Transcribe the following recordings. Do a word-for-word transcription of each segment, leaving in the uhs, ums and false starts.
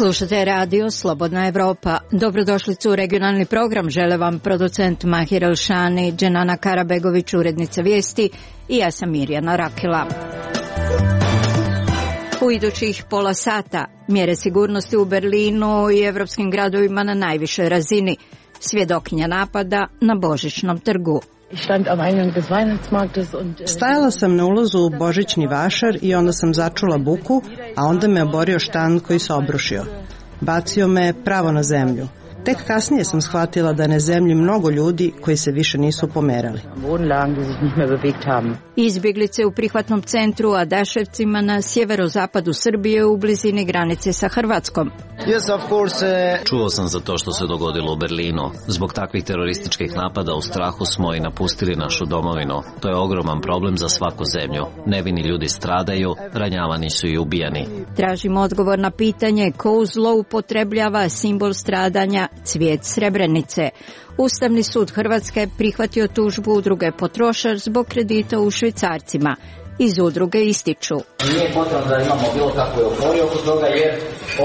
Slušate radio Slobodna Evropa. Dobrodošlicu u regionalni program. Žele vam producent Mahir Elšani, Dženana Karabegović, urednica vijesti i ja sam Mirjana Rakila. U idućih pola sata mjere sigurnosti u Berlinu i evropskim gradovima na najvišoj razini. Svjedokinja napada na Božićnom trgu. Stajala sam na ulazu u Božićni vašar i onda sam začula buku, a onda me oborio štand koji se obrušio. Bacio me pravo na zemlju. Tek kasnije sam shvatila da na zemlji mnogo ljudi koji se više nisu pomerali. Izbjeglice u prihvatnom centru Adaševcima na sjeverozapadu Srbije u blizini granice sa Hrvatskom. Čuo sam za to što se dogodilo u Berlinu. Zbog takvih terorističkih napada u strahu smo i napustili našu domovinu. To je ogroman problem za svaku zemlju. Nevini ljudi stradaju, ranjavani su i ubijani. Tražimo odgovor na pitanje ko zloupotrebljava simbol stradanja cvijet Srebrenice. Ustavni sud Hrvatske prihvatio tužbu udruge Potrošač zbog kredita u švicarcima. Iz udruge ističu: nije potrebno da imamo bilo kakvu euforiju oko toga, jer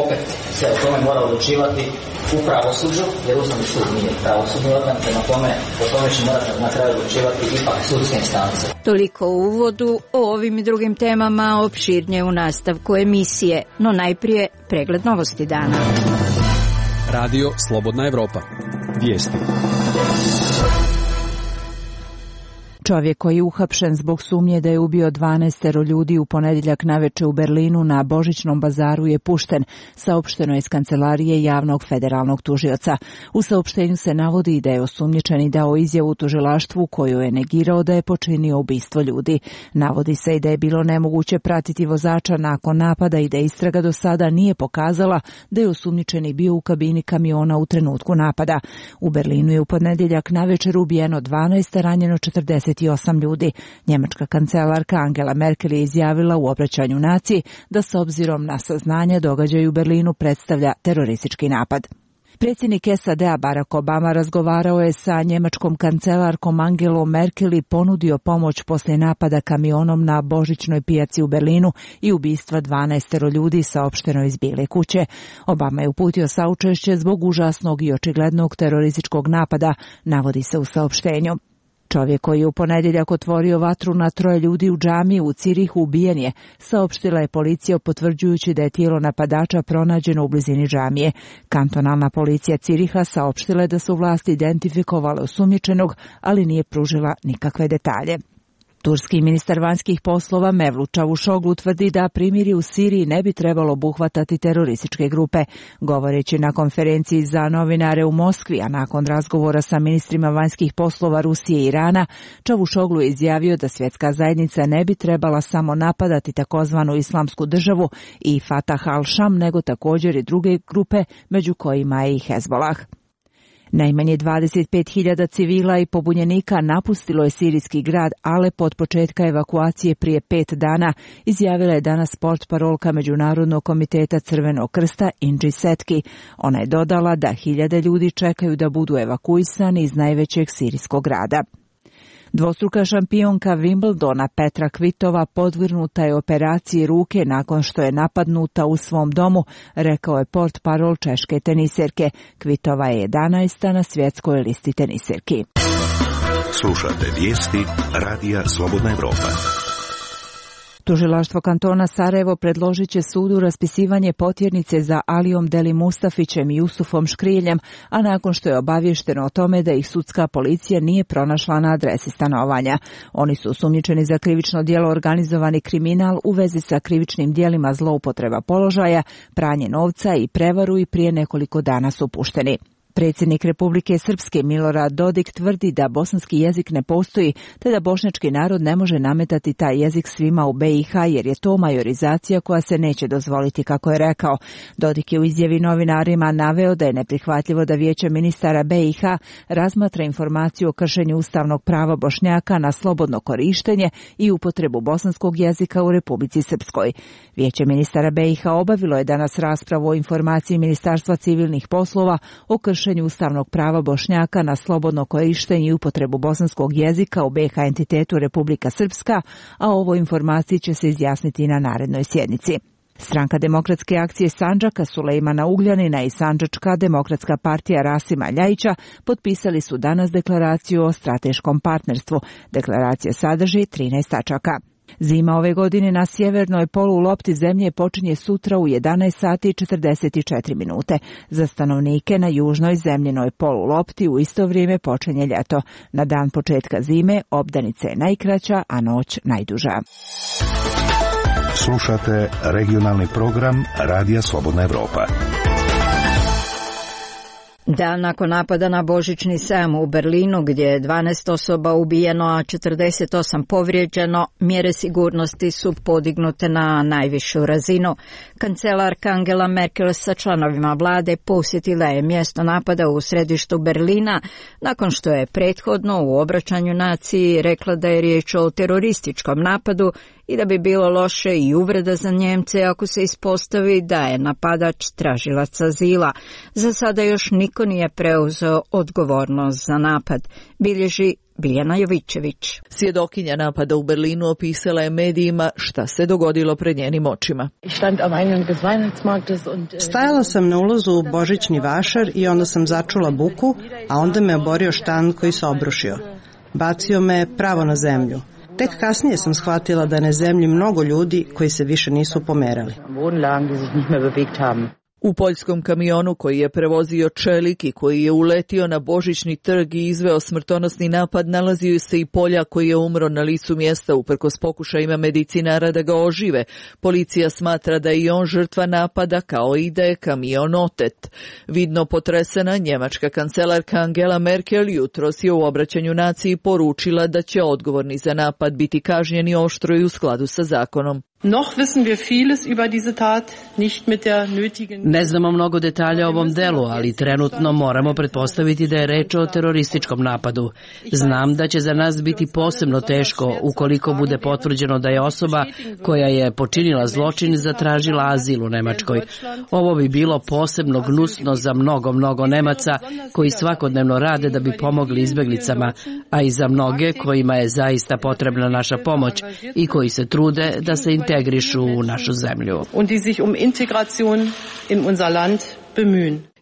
opet se o tome mora odlučivati u pravosuđu, jer Ustavni sud nije pravosudni organ, prema tome o tome će morati na kraju odlučivati ipak sudske instance. Toliko u uvodu. O ovim i drugim temama opširnije u nastavku emisije, no najprije pregled novosti dana. Radio Slobodna Evropa. Vijesti. Čovjek koji je uhapšen zbog sumnje da je ubio dvanaestero ljudi u ponedjeljak naveče u Berlinu na Božićnom bazaru je pušten, saopšteno je iz kancelarije javnog federalnog tužioca. U saopštenju se navodi da je osumnjičeni dao izjavu tužilaštvu koju je negirao da je počinio ubistvo ljudi. Navodi se i da je bilo nemoguće pratiti vozača nakon napada i da istraga do sada nije pokazala da je osumnjičeni bio u kabini kamiona u trenutku napada. U Berlinu je u ponedjeljak navečer ubijeno dvanaest, a ranjeno četrdeset osam ljudi. Njemačka kancelarka Angela Merkel je izjavila u obraćanju naciji da s obzirom na saznanja događaj u Berlinu predstavlja teroristički napad. Predsjednik S A D-a Barack Obama razgovarao je sa njemačkom kancelarkom Angelom Merkel i ponudio pomoć poslije napada kamionom na Božićnoj pijaci u Berlinu i ubistva dvanaestero ljudi, saopšteno iz Bijele kuće. Obama je uputio saučešće zbog užasnog i očiglednog terorističkog napada, navodi se u saopštenju. Čovjek koji je u ponedjeljak otvorio vatru na troje ljudi u džamiji u Cirihu ubijen je, saopštila je policija potvrđujući da je tijelo napadača pronađeno u blizini džamije. Kantonalna policija Ciriha saopštila je da su vlasti identifikovale osumnjičenog, ali nije pružila nikakve detalje. Turski ministar vanjskih poslova Mevlut Čavuşoglu tvrdi da primirje u Siriji ne bi trebalo obuhvatati terorističke grupe. Govoreći na konferenciji za novinare u Moskvi, a nakon razgovora sa ministrima vanjskih poslova Rusije i Irana, Čavuşoglu je izjavio da svjetska zajednica ne bi trebala samo napadati takozvanu islamsku državu i Fatah al-Sham, nego također i druge grupe, među kojima je i Hezbollah. Najmanje dvadeset pet hiljada civila i pobunjenika napustilo je sirijski grad Alep od početka evakuacije prije pet dana, izjavila je danas portparolka Međunarodnog komiteta Crvenog krsta Inđi Setki. Ona je dodala da hiljade ljudi čekaju da budu evakuisani iz najvećeg sirijskog grada. Dvostruka šampionka Wimbledona Petra Kvitova podvrgnuta je operaciji ruke nakon što je napadnuta u svom domu, rekao je portparol češke teniserke. Kvitova je jedanaesta na svjetskoj listi teniserki. Slušate vijesti Radija Slobodna Evropa. Tužilaštvo kantona Sarajevo predložit će sudu raspisivanje potjernice za Alijom Deli Mustafićem i Jusufom Škriljem, a nakon što je obavješteno o tome da ih sudska policija nije pronašla na adresi stanovanja. Oni su osumnjičeni za krivično djelo organizovani kriminal u vezi sa krivičnim djelima zloupotreba položaja, pranje novca i prevaru i prije nekoliko dana su pušteni. Predsjednik Republike Srpske Milorad Dodik tvrdi da bosanski jezik ne postoji, te da bošnjački narod ne može nametati taj jezik svima u B i H jer je to majorizacija koja se neće dozvoliti, kako je rekao. Dodik je u izjavi novinarima naveo da je neprihvatljivo da Vijeće ministara B i H razmatra informaciju o kršenju ustavnog prava Bošnjaka na slobodno korištenje i upotrebu bosanskog jezika u Republici Srpskoj. Vijeće ministara B i H obavilo je danas raspravu o informaciji Ministarstva civilnih poslova o kršenju ustavnog prava Bošnjaka na slobodno korištenje i upotrebu bosanskog jezika u B H entitetu Republika Srpska, a o ovoj informaciji će se izjasniti na narednoj sjednici. Stranka demokratske akcije Sandžaka Sulejmana Ugljanina i Sandžačka demokratska partija Rasima Ljajića potpisali su danas deklaraciju o strateškom partnerstvu. Deklaracija sadrži trinaest tačaka. Zima ove godine na sjevernoj polulopti zemlje počinje sutra u jedanaest sati i četrdeset četiri minute. Za stanovnike na južnoj zemljenoj polulopti u isto vrijeme počinje ljeto. Na dan početka zime obdanica je najkraća, a noć najduža. Slušate regionalni program Radija Slobodna Evropa. Dan nakon napada na Božićni sajam u Berlinu, gdje je dvanaest osoba ubijeno, a četrdeset osam povrijeđeno, mjere sigurnosti su podignute na najvišu razinu. Kancelarka Angela Merkel sa članovima vlade posjetila je mjesto napada u središtu Berlina, nakon što je prethodno u obraćanju naciji rekla da je riječ o terorističkom napadu i da bi bilo loše i uvreda za Njemce ako se ispostavi da je napadač tražilac azila. Za sada još niko nije preuzeo odgovornost za napad, bilježi Biljana Jovićević. Svjedokinja napada u Berlinu opisala je medijima šta se dogodilo pred njenim očima. Stajala sam na ulazu u Božićni vašar i onda sam začula buku, a onda me oborio štan koji se obrušio. Bacio me pravo na zemlju. Tek kasnije sam shvatila da na zemlji mnogo ljudi koji se više nisu pomerali. U poljskom kamionu koji je prevozio čelik i koji je uletio na Božićni trg i izveo smrtonosni napad, nalazio se i Poljak koji je umro na licu mjesta uprkos pokušajima medicinara da ga ožive. Policija smatra da je i on žrtva napada, kao i da je kamion otet. Vidno potresena, njemačka kancelarka Angela Merkel jutros je u obraćanju naciji poručila da će odgovorni za napad biti kažnjeni oštro i u skladu sa zakonom. Ne znamo mnogo detalja o ovom delu, ali trenutno moramo pretpostaviti da je reč o terorističkom napadu. Znam da će za nas biti posebno teško ukoliko bude potvrđeno da je osoba koja je počinila zločin zatražila azil u Nemačkoj. Ovo bi bilo posebno gnusno za mnogo, mnogo Nemaca koji svakodnevno rade da bi pomogli izbjeglicama, a i za mnoge kojima je zaista potrebna naša pomoć i koji se trude da se integrišu u našu zemlju.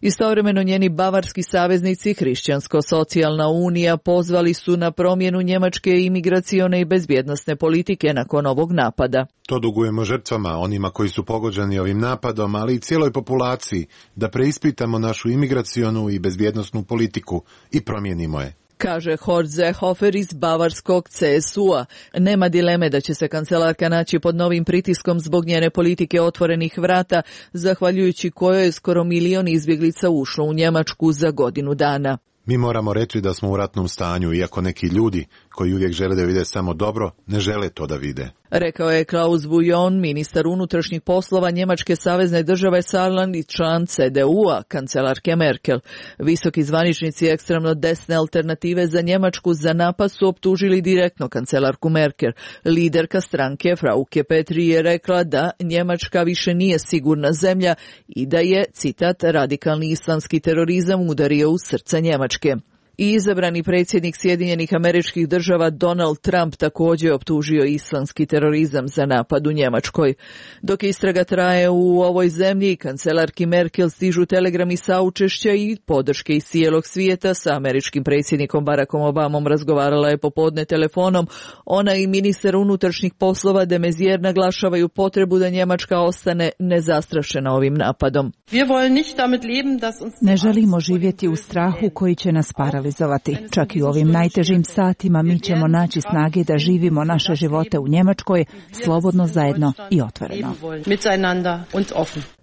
Istovremeno njeni bavarski saveznici Hrišćansko-socijalna unija pozvali su na promjenu njemačke imigracione i bezbjednosne politike nakon ovog napada. To dugujemo žrtvama, onima koji su pogođeni ovim napadom, ali i cijeloj populaciji, da preispitamo našu imigracionu i bezbjednosnu politiku i promijenimo je, kaže Horst Seehofer iz bavarskog C S U-a. Nema dileme da će se kancelarka naći pod novim pritiskom zbog njene politike otvorenih vrata, zahvaljujući kojoj je skoro milion izbjeglica ušlo u Njemačku za godinu dana. Mi moramo reći da smo u ratnom stanju, iako neki ljudi koji uvijek žele da vide samo dobro, ne žele to da vide. Rekao je Klaus Bujon, ministar unutrašnjih poslova Njemačke savezne države Saarland i član C D U-a, kancelarke Merkel. Visoki zvaničnici ekstremno desne alternative za Njemačku za napad su optužili direktno kancelarku Merkel. Liderka stranke Frauke Petri je rekla da Njemačka više nije sigurna zemlja i da je, citat, radikalni islamski terorizam udario u srce Njemačke. I izabrani predsjednik Sjedinjenih Američkih Država Donald Trump također optužio islamski terorizam za napad u Njemačkoj. Dok istraga traje u ovoj zemlji, kancelarki Merkel stižu telegrami saučešća i podrške iz cijelog svijeta. Sa američkim predsjednikom Barackom Obamom razgovarala je popodne telefonom. Ona i ministar unutrašnjih poslova de Maizière naglašavaju potrebu da Njemačka ostane nezastrašena ovim napadom. Ne želimo živjeti u strahu koji će nas paralizovati. Čak i u ovim najtežim satima mi ćemo naći snage da živimo naše živote u Njemačkoj slobodno, zajedno i otvoreno.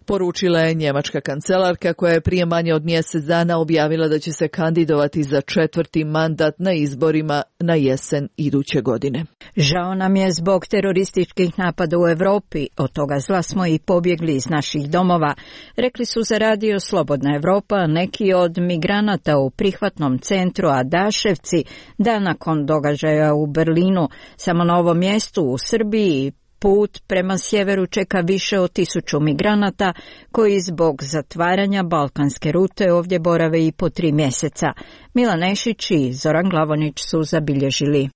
Poručila je njemačka kancelarka koja je prije manje od mjesec dana objavila da će se kandidovati za četvrti mandat na izborima na jesen iduće godine. Žao nam je zbog terorističkih napada u Europi, od toga zla smo i pobjegli iz naših domova, rekli su za radio Slobodna Evropa neki od migranata u prihvatnom centru Adaševci dan nakon događaja u Berlinu. Samo na ovom mjestu u Srbiji put prema sjeveru čeka više od tisuću migranata koji zbog zatvaranja balkanske rute ovdje borave i po tri mjeseca. Milan Nešić i Zoran Glavonić su zabilježili.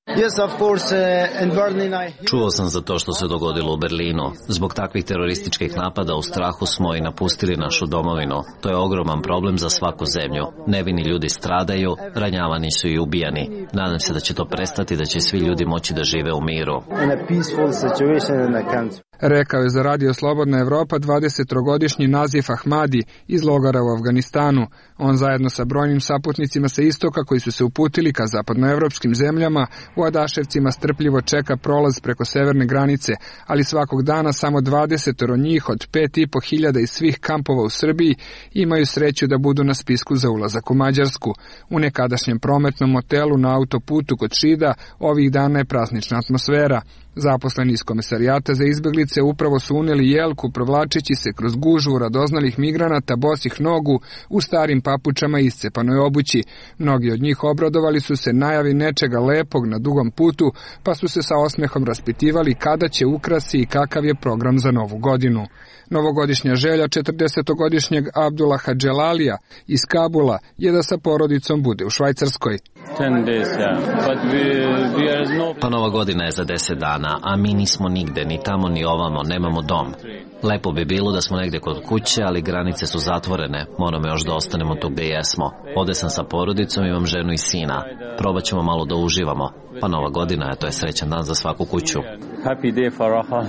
Čuo sam za to što se dogodilo u Berlinu. Zbog takvih terorističkih napada u strahu smo i napustili našu domovinu. To je ogroman problem za svaku zemlju. Nevini ljudi stradaju, ranjavani su i ubijani. Nadam se da će to prestati, da će svi ljudi moći da žive u miru. Rekao je za Radio Slobodna Evropa dvadesettrogodišnji Nazif Ahmadi iz logora u Afganistanu. On zajedno sa brojnim saputnicima sa istoka koji su se uputili ka zapadnoevropskim zemljama u Adaševcima strpljivo čeka prolaz preko severne granice, ali svakog dana samo dvadesetoro njih od pet i po hiljada iz svih kampova u Srbiji imaju sreću da budu na spisku za ulazak u Mađarsku. U nekadašnjem prometnom hotelu na autoputu kod Šida ovih dana je praznična atmosfera. Zaposleni iz Komesarijata za izbeglice upravo su uneli jelku provlačeći se kroz gužvu radoznalih migranata bosih nogu u starim papučama i iscepanoj obući. Mnogi od njih obradovali su se najavi nečega lepog na dugom putu, pa su se sa osmehom raspitivali kada će ukrasi i kakav je program za novu godinu. Novogodišnja želja četrdesetogodišnjeg Abdullaha Dželalija iz Kabula je da sa porodicom bude u Švajcarskoj. Pa Nova godina je za deset dana, a mi nismo nigde, ni tamo ni ovamo, nemamo dom. Lepo bi bilo da smo negde kod kuće, ali granice su zatvorene, moramo još da ostanemo tu gde jesmo. Ovde sam sa porodicom, imam ženu i sina. Probat ćemo malo da uživamo. Pa Nova godina je, to je srećan dan za svaku kuću. Happy day for all.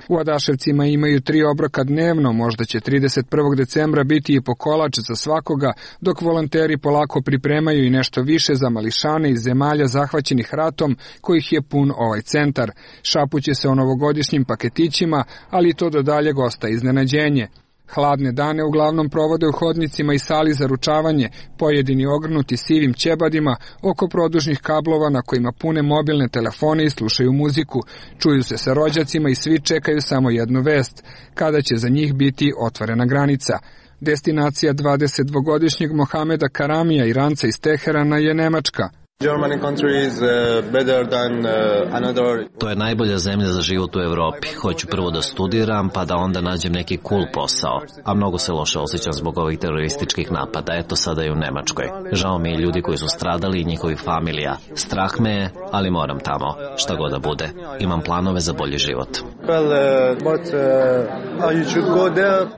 U Adaševcima imaju tri obroka dnevno, možda će trideset prvog decembra biti i po kolač za svakoga, dok volonteri polako pripremaju i nešto više za mališane iz zemalja zahvaćenih ratom, kojih je pun ovaj centar. Šapuće se o novogodišnjim paketićima, ali to do daljeg ostaje iznenađenje. Hladne dane uglavnom provode u hodnicima i sali za ručavanje, pojedini ogrnuti sivim ćebadima oko produžnih kablova na kojima pune mobilne telefone i slušaju muziku. Čuju se sa rođacima i svi čekaju samo jednu vest, kada će za njih biti otvorena granica. Destinacija dvadesetdvogodišnjeg Mohameda Karamija, Iranca iz Teherana, je Nemačka. To je najbolja zemlja za život u Evropi. Hoću prvo da studiram, pa da onda nađem neki cool posao. A mnogo se loše osjećam zbog ovih terorističkih napada. Eto sada i u Nemačkoj. Žao mi je ljudi koji su stradali i njihovih familija. Strah me je, ali moram tamo. Šta god da bude. Imam planove za bolji život.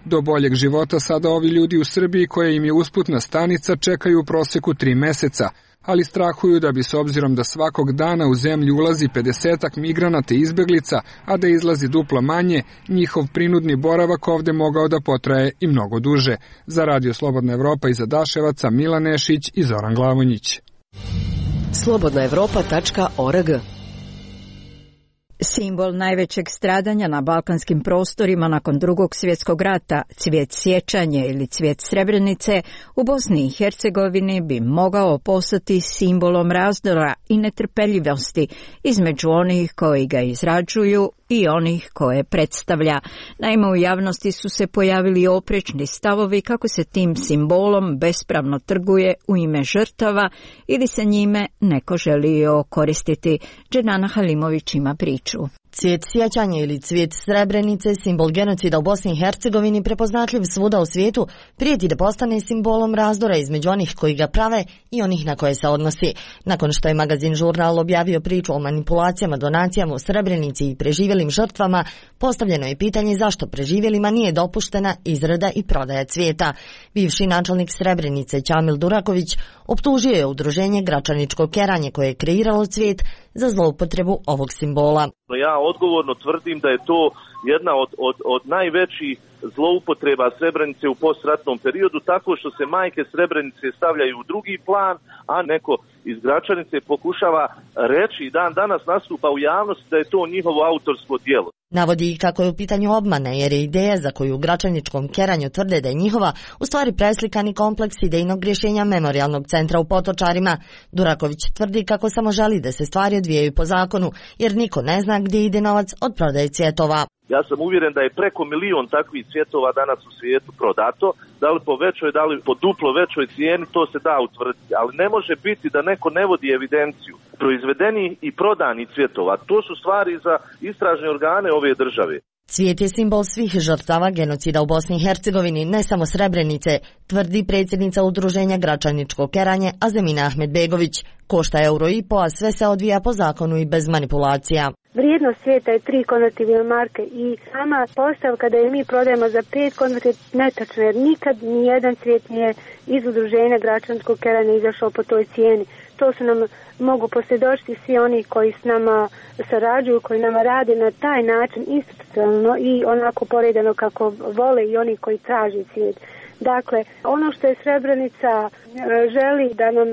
Do boljeg života sada ovi ljudi u Srbiji, koje im je usputna stanica, čekaju u proseku tri meseca. Ali strahuju da bi, s obzirom da svakog dana u zemlju ulazi pedesetak migranata i izbeglica, a da izlazi duplo manje, njihov prinudni boravak ovde mogao da potraje i mnogo duže. Za Radio Slobodna Evropa iz Adaševaca, Milan Nešić i Zoran Glavonjić. slobodna evropa tačka org. Simbol najvećeg stradanja na balkanskim prostorima nakon drugog svjetskog rata, cvijet sjećanje ili cvijet Srebrenice, u Bosni i Hercegovini bi mogao postati simbolom razdora i netrpeljivosti između onih koji ga izrađuju i onih koje predstavlja. Naime, u javnosti su se pojavili oprečni stavovi kako se tim simbolom bespravno trguje u ime žrtava ili se njime neko želi koristiti. Dženana Halimović ima priču. Cvijet sjećanja ili cvijet Srebrenice, simbol genocida u Bosni i Hercegovini, prepoznatljiv svuda u svijetu, prijeti da postane simbolom razdora između onih koji ga prave i onih na koje se odnosi. Nakon što je magazin Žurnal objavio priču o manipulacijama, donacijama u Srebrenici i preživjelim žrtvama, postavljeno je pitanje zašto preživjelima nije dopuštena izrada i prodaja cvijeta. Bivši načelnik Srebrenice Ćamil Duraković optužio je udruženje Gračaničko keranje koje je kreiralo cvijet za zloupotrebu ovog simbola. Ja odgovorno tvrdim da je to jedna od, od, od najvećih zloupotreba Srebrenice u postratnom periodu, tako što se majke Srebrenice stavljaju u drugi plan, a neko iz Gračanice pokušava reći i dan danas nastupa u javnosti da je to njihovo autorsko djelo. Navodi i kako je u pitanju obmana, jer je ideja za koju u Gračaničkom keranju tvrde da je njihova, u stvari preslikani kompleks idejnog rješenja Memorijalnog centra u Potočarima. Duraković tvrdi kako samo želi da se stvari odvijaju po zakonu, jer niko ne zna gdje ide novac od prodaje cvjetova. Ja sam uvjeren da je preko milion takvih cvjetova danas u svijetu prodato, da li po većoj, da li po duplo većoj cijeni, to se da utvrditi, ali ne može biti da neko ne vodi evidenciju proizvedeni i prodani cvjetova. To su stvari za istražne organe ove države. Cvijet je simbol svih žrtava genocida u Bosni i Hercegovini, ne samo Srebrenice, tvrdi predsjednica udruženja Gračaničko keranje Azemina Ahmedbegović. Košta euro i po, a sve se odvija po zakonu i bez manipulacija. Vrijednost cvijeta je tri konvertibilne marke i sama postavka da je mi prodajemo za pet konverti je netačna, jer nikad nijedan cvijet nije iz udruženja Gračanskog keranja izašao po toj cijeni. To su nam mogu posvjedočiti svi oni koji s nama sarađuju, koji nama rade na taj način institucionalno i onako poredano kako vole i oni koji traži cvijet. Dakle, ono što je Srebrenica želi da nam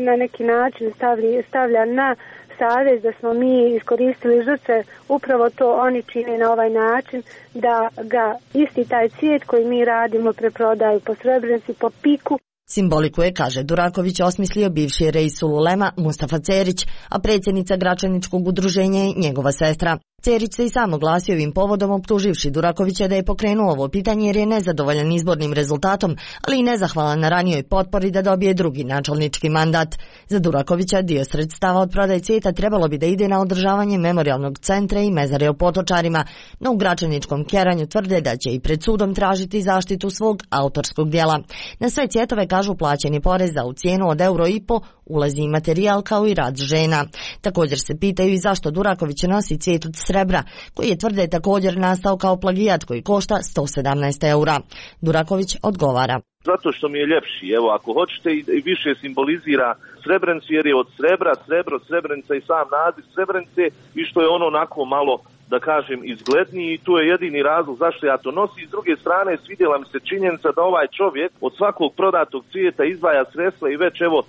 na neki način stavlja, stavlja na savez da smo mi iskoristili žrtve, upravo to oni čine na ovaj način, da ga isti taj cvijet koji mi radimo preprodaju po Srebrenici, po piku. Simboliku je, kaže Duraković, osmislio bivši Reisul Ulema Mustafa Cerić, a predsjednica Gračaničkog udruženja je njegova sestra. Cerić se i sam oglasio ovim povodom, optuživši Durakovića da je pokrenuo ovo pitanje jer je nezadovoljan izbornim rezultatom, ali i nezahvalan na ranijoj potpori da dobije drugi načelnički mandat. Za Durakovića dio sredstava od prodaje cvijeta trebalo bi da ide na održavanje memorijalnog centra i mezare u Potočarima, no u Gračaničkom keranju tvrde da će i pred sudom tražiti zaštitu svog autorskog dijela. Na sve cvjetove, kažu, plaćeni porez, a u cijenu od euro i po ulazi i materijal kao i rad žena. Također se pitaju i zašto Duraković nosi cvijet od srebra, koji je, tvrde, također nastao kao plagijat koji košta sto sedamnaest eura. Duraković odgovara. Zato što mi je ljepši, evo, ako hoćete, i više simbolizira Srebrenicu jer je od srebra, srebro, Srebrenica i sam naziv Srebrenice i što je ono onako malo, da kažem, izgledniji i tu je jedini razlog zašto ja to nosim. S druge strane, svidjela mi se činjenica da ovaj čovjek od svakog prodatog cvijeta izdvaja sredstva i već evo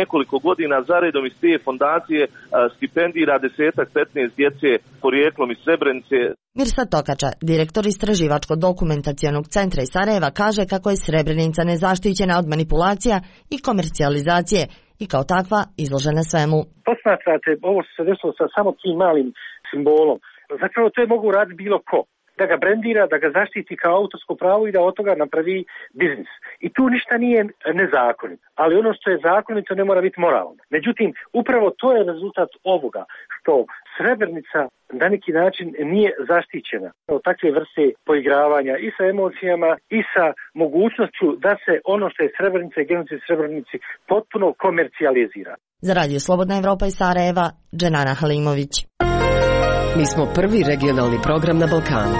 nekoliko godina zaredom iz te fondacije stipendira desetak, petnaest djece porijeklom iz Srebrenice. Mirsad Tokača, direktor Istraživačko-dokumentacionog centra iz Sarajeva, kaže kako je Srebrenica nezaštićena od manipulacija i komercijalizacije i kao takva izložena svemu. Posmatrate ovo što se desilo sa samo tim malim simbolom. Zapravo to je mogu raditi bilo ko. Da ga brendira, da ga zaštiti kao autorsko pravo i da od toga napravi biznis. I tu ništa nije nezakonito. Ali ono što je zakonito ne mora biti moralno. Međutim, upravo to je rezultat ovoga, što Srebrenica na neki način nije zaštićena od takve vrste poigravanja i sa emocijama i sa mogućnošću da se ono što je Srebrenica i genocid Srebrenici potpuno komercijalizira. Za Radio Slobodna Evropa iz Sarajeva, Dženana Halimović. Mi smo prvi regionalni program na Balkanu.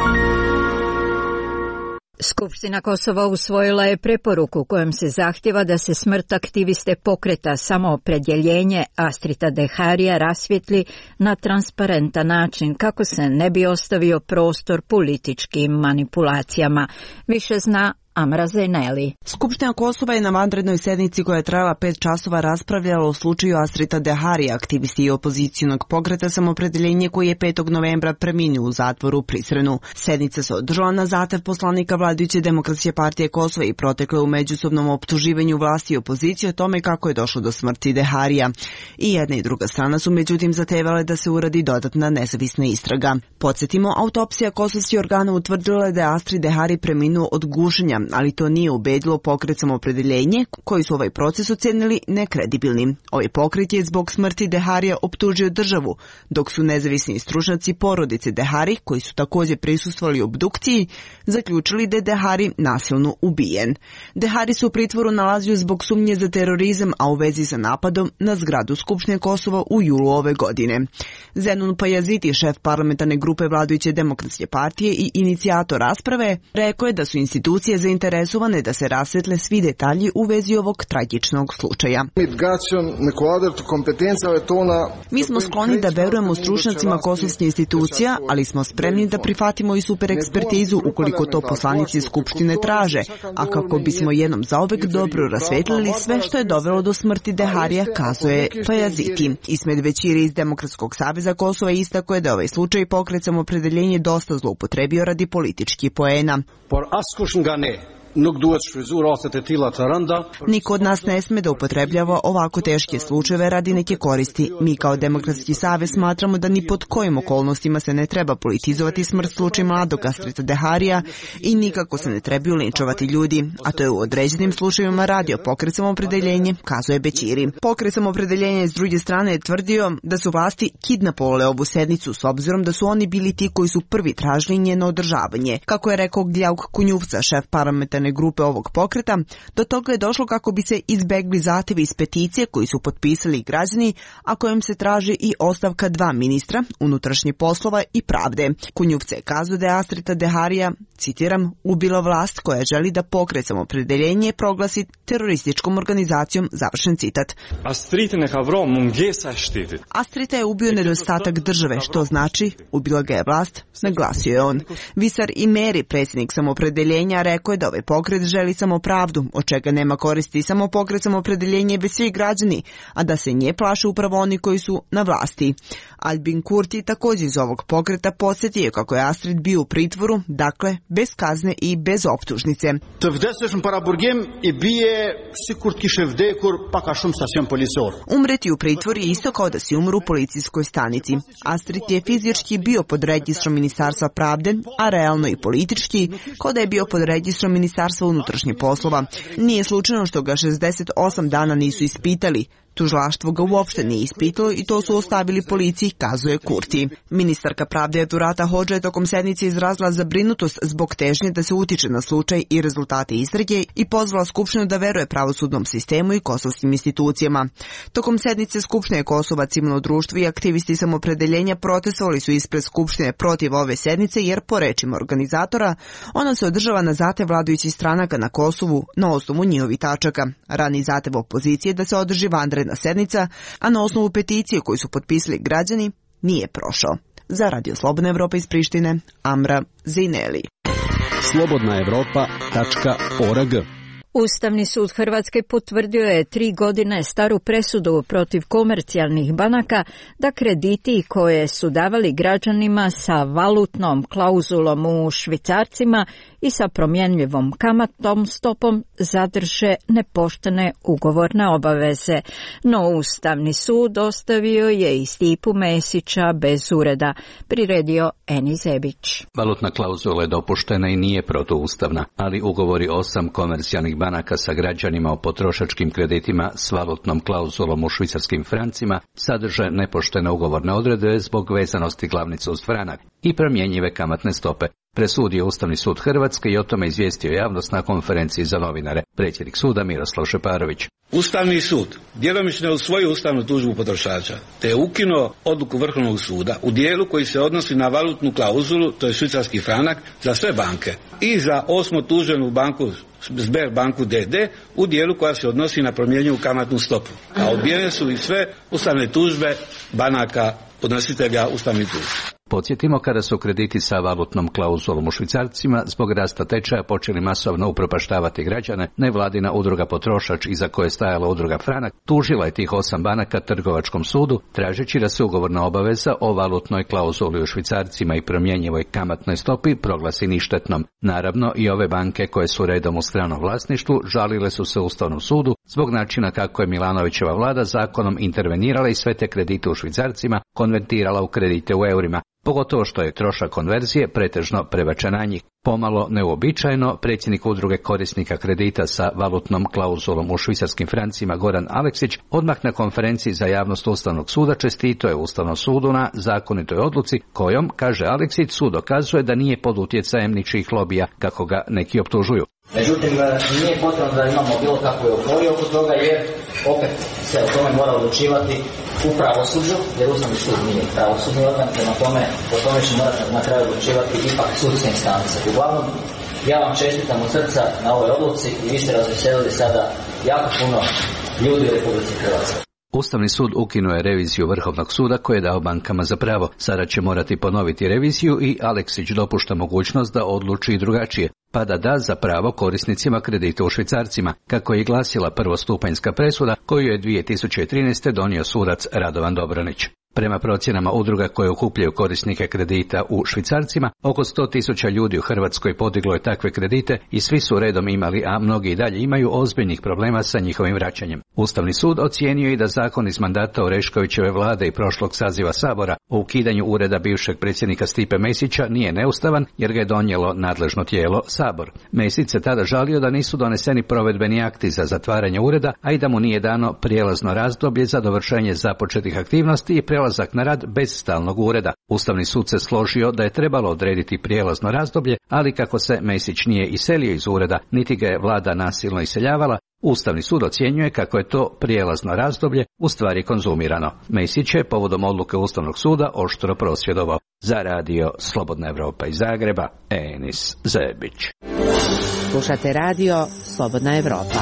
Skupština Kosova usvojila je preporuku kojom se zahtjeva da se smrt aktiviste pokreta Samoopredjeljenje Astrita Deharija rasvijetli na transparentan način kako se ne bi ostavio prostor političkim manipulacijama. Više zna Amra Zeneli. Skupština Kosova je na vanrednoj sednici koja je trajala pet časova raspravljala o slučaju Astrita Deharija, aktivisti i opozicionog pokreta Samoopredjeljenje koji je petog novembra preminuo u zatvoru u Prizrenu. Sednica se održala na zahtev poslanika vladajuće Demokratske partije Kosova i protekla u međusobnom optuživanju vlasti i opozicije o tome kako je došlo do smrti Deharija. I jedna i druga strana su međutim zahtevale da se uradi dodatna nezavisna istraga. Podsjetimo, autopsija kosovskih organa utvrdila da je Astrid Dehari preminuo od gušenja, ali to nije ubedilo pokret Samoopredjeljenje, koji su ovaj proces ocenili nekredibilnim. Ovaj pokret je zbog smrti Deharija optužio državu, dok su nezavisni stručnjaci porodice Dehari, koji su također prisustvovali obdukciji, zaključili da je Dehari nasilno ubijen. Dehari se u pritvoru nalazio zbog sumnje za terorizam, a u vezi sa napadom na zgradu Skupštine Kosova u julu ove godine. Zenun Pajaziti, šef parlamentarne grupe vladajuće Demokratske partije i inicijator rasprave, rekao je da su institucije zainteresovane da se rasvetle svi detalji u vezi ovog tragičnog slučaja. Mi smo skloni da verujemo stručnjacima kosovskih institucija, ali smo spremni da prihvatimo i super ekspertizu ukoliko to poslanici Skupštine traže, a kako bismo jednom zauvek dobro rasvetlili sve što je dovelo do smrti Deharija, kazuje Pajaziti. Ismet Većiri iz Demokratskog saveza Kosova istakao je da ovaj slučaj pokret Samoopredjeljenje dosta zloupotrebio radi političkih poena. Niko od nas ne sme da upotrebljava ovako teške slučajeve radi neke koristi. Mi kao Demokratski savez smatramo da ni pod kojim okolnostima se ne treba politizovati smrt slučaj mladog Astrita Deharija i nikako se ne trebaju linčovati ljudi, a to je u određenim slučajevima radio Pokret Samoopredeljenje, kazuje Bećiri. Pokret Samoopredeljenje s druge strane je tvrdio da su vlasti kidnapovale ovu sednicu s obzirom da su oni bili ti koji su prvi tražili njeno održavanje. Kako je rekao Gljauk Kunjuvca, šef parlamentarne grupe ovog pokreta, do toga je došlo kako bi se izbegli zahtevi iz peticije koji su potpisali građani, a kojim se traži i ostavka dva ministra, unutrašnjih poslova i pravde. Kunjuvca je kazao da je Astrita Deharija, citiram, ubila vlast koja želi da Pokret Samoopredeljenje proglasi terorističkom organizacijom, završen citat. Astrita je ubio nedostatak države, što znači ubila ga je vlast, naglasio je on. Visar Imeri, predsjednik Samoopredeljenja, rekao je da ovaj pokret želi samo pravdu, od čega nema koristi samo Pokret Samoopredeljenje već svi građani, a da se nje plaše upravo oni koji su na vlasti. Albin Kurti također iz ovog pokreta podsjetio kako je Astrid bio u pritvoru, dakle bez kazne i bez optužnice. Umreti u pritvoru je isto kao da si umru u policijskoj stanici. Astrid je fizički bio pod registrom Ministarstva pravde, a realno i politički kao da je bio pod registrom Ministarstva unutrašnjih poslova. Nije slučajno što ga šezdeset osam dana nisu ispitali. Tužilaštvo ga uopšte nije ispitalo i to su ostavili policiji, kazuje Kurti. Ministarka pravde Durata Hodža je tokom sednice izrazila zabrinutost zbog težnje da se utiče na slučaj i rezultate istrage i pozvala Skupštinu da veruje pravosudnom sistemu i kosovskim institucijama. Tokom sednice Skupštine Kosova, civilno društvo i aktivisti Samoopredeljenja protestovali su ispred Skupštine protiv ove sednice jer, po rečima organizatora, ona se održava na zahtev vladajućih stranaka na Kosovu na osnovu njihovih tačaka. Rani zahtev opozicije da se održi vanredna sednica, a na osnovu peticije koju su potpisali građani, nije prošao. Za Radio Slobodna Evropa iz Prištine, Amra Zineli. slobodna evropa tačka org. Ustavni sud Hrvatske potvrdio je tri godine staru presudu protiv komercijalnih banaka da krediti koje su davali građanima sa valutnom klauzulom u švicarcima i sa promjenljivom kamatnom stopom zadrže nepoštene ugovorne obaveze. No Ustavni sud ostavio je i Stipu Mesića bez ureda, priredio Eni Zebić. Valutna klauzula je dopuštena i nije protuustavna, ali ugovori osam komercijalnih banaka sa građanima o potrošačkim kreditima s valutnom klauzulom u švicarskim francima sadrže nepoštene ugovorne odredbe zbog vezanosti glavnice uz franak i promjenjive kamatne stope. Presudio Ustavni sud Hrvatske i o tome izvijestio javnost na konferenciji za novinare. Predsjednik suda Miroslav Šeparović. Ustavni sud djelomično je usvojio ustavnu tužbu potrošača, te je ukinuo odluku Vrhovnog suda u dijelu koji se odnosi na valutnu klauzulu, to je švicarski franak, za sve banke i za osmo tuženu banku Sberbanku D D u dijelu koja se odnosi na promjenjivu kamatnu stopu. A odbijene su i sve ustavne tužbe banaka podnositelja ustavnih tužbi. Podsjetimo, kada su krediti sa valutnom klauzulom u švicarcima zbog rasta tečaja počeli masovno upropaštavati građane, nevladina udruga Potrošač, iza koje je stajala udruga Franak, tužila je tih osam banaka Trgovačkom sudu, tražeći da se ugovorna obaveza o valutnoj klauzuli u švicarcima i promjenjivoj kamatnoj stopi proglasi ništetnom. Naravno, i ove banke koje su redom u stranom vlasništvu žalile su se Ustavnom sudu zbog načina kako je Milanovićeva vlada zakonom intervenirala i sve te kredite u švicarcima konvertirala u kredite u eurima. Pogotovo što je trošak konverzije pretežno prebačen na njih. Pomalo neuobičajeno, predsjednik udruge korisnika kredita sa valutnom klauzulom u švicarskim francima Goran Aleksić odmah na konferenciji za javnost Ustavnog suda čestito je Ustavnom sudu na zakonitoj odluci kojom, kaže Aleksić, sud dokazuje da nije pod utjecajem ničijih lobija, kako ga neki optužuju. Međutim, nije potrebno da imamo bilo kakve euforije oko toga, jer opet se o tome mora odlučivati u pravosuđu, jer Ustavni sud nije pravosudni organ, prema tome o tome će morati na kraju odlučivati ipak sudske instance. Uglavnom, ja vam čestitam od srca na ovoj odluci i vi ste razveselili sada jako puno ljudi u Republici Hrvatskoj. Ustavni sud ukinuo je reviziju Vrhovnog suda koje je dao bankama za pravo. Sada će morati ponoviti reviziju i Aleksić dopušta mogućnost da odluči i drugačije, pa da da za pravo korisnicima kredita u švicarcima, kako je glasila prvostupanjska presuda koju je dvije tisuće trinaeste donio sudac Radovan Dobranić. Prema procjenama udruga koje okupljaju korisnike kredita u švicarcima, oko sto tisuća ljudi u Hrvatskoj podiglo je takve kredite i svi su redom imali, a mnogi i dalje imaju ozbiljnih problema sa njihovim vraćanjem. Ustavni sud ocijenio je da zakon iz mandata Oreškovićeve vlade i prošlog saziva Sabora o ukidanju ureda bivšeg predsjednika Stipe Mesića nije neustavan jer ga je donijelo nadležno tijelo Sabor. Mesić se tada žalio da nisu doneseni provedbeni akti za zatvaranje ureda, a i da mu nije dano prijelazno razdoblje za dovršenje započetih aktivnosti i prelazak na rad bez stalnog ureda. Ustavni sud se složio da je trebalo odrediti prijelazno razdoblje, ali kako se Mesić nije iselio iz ureda, niti ga je vlada nasilno iseljavala, Ustavni sud ocjenjuje kako je to prijelazno razdoblje u stvari konzumirano. Mesić je povodom odluke Ustavnog suda oštro prosvjedovao. Za radio Slobodna Evropa iz Zagreba, Enis Zebić. Slušate radio Slobodna Evropa.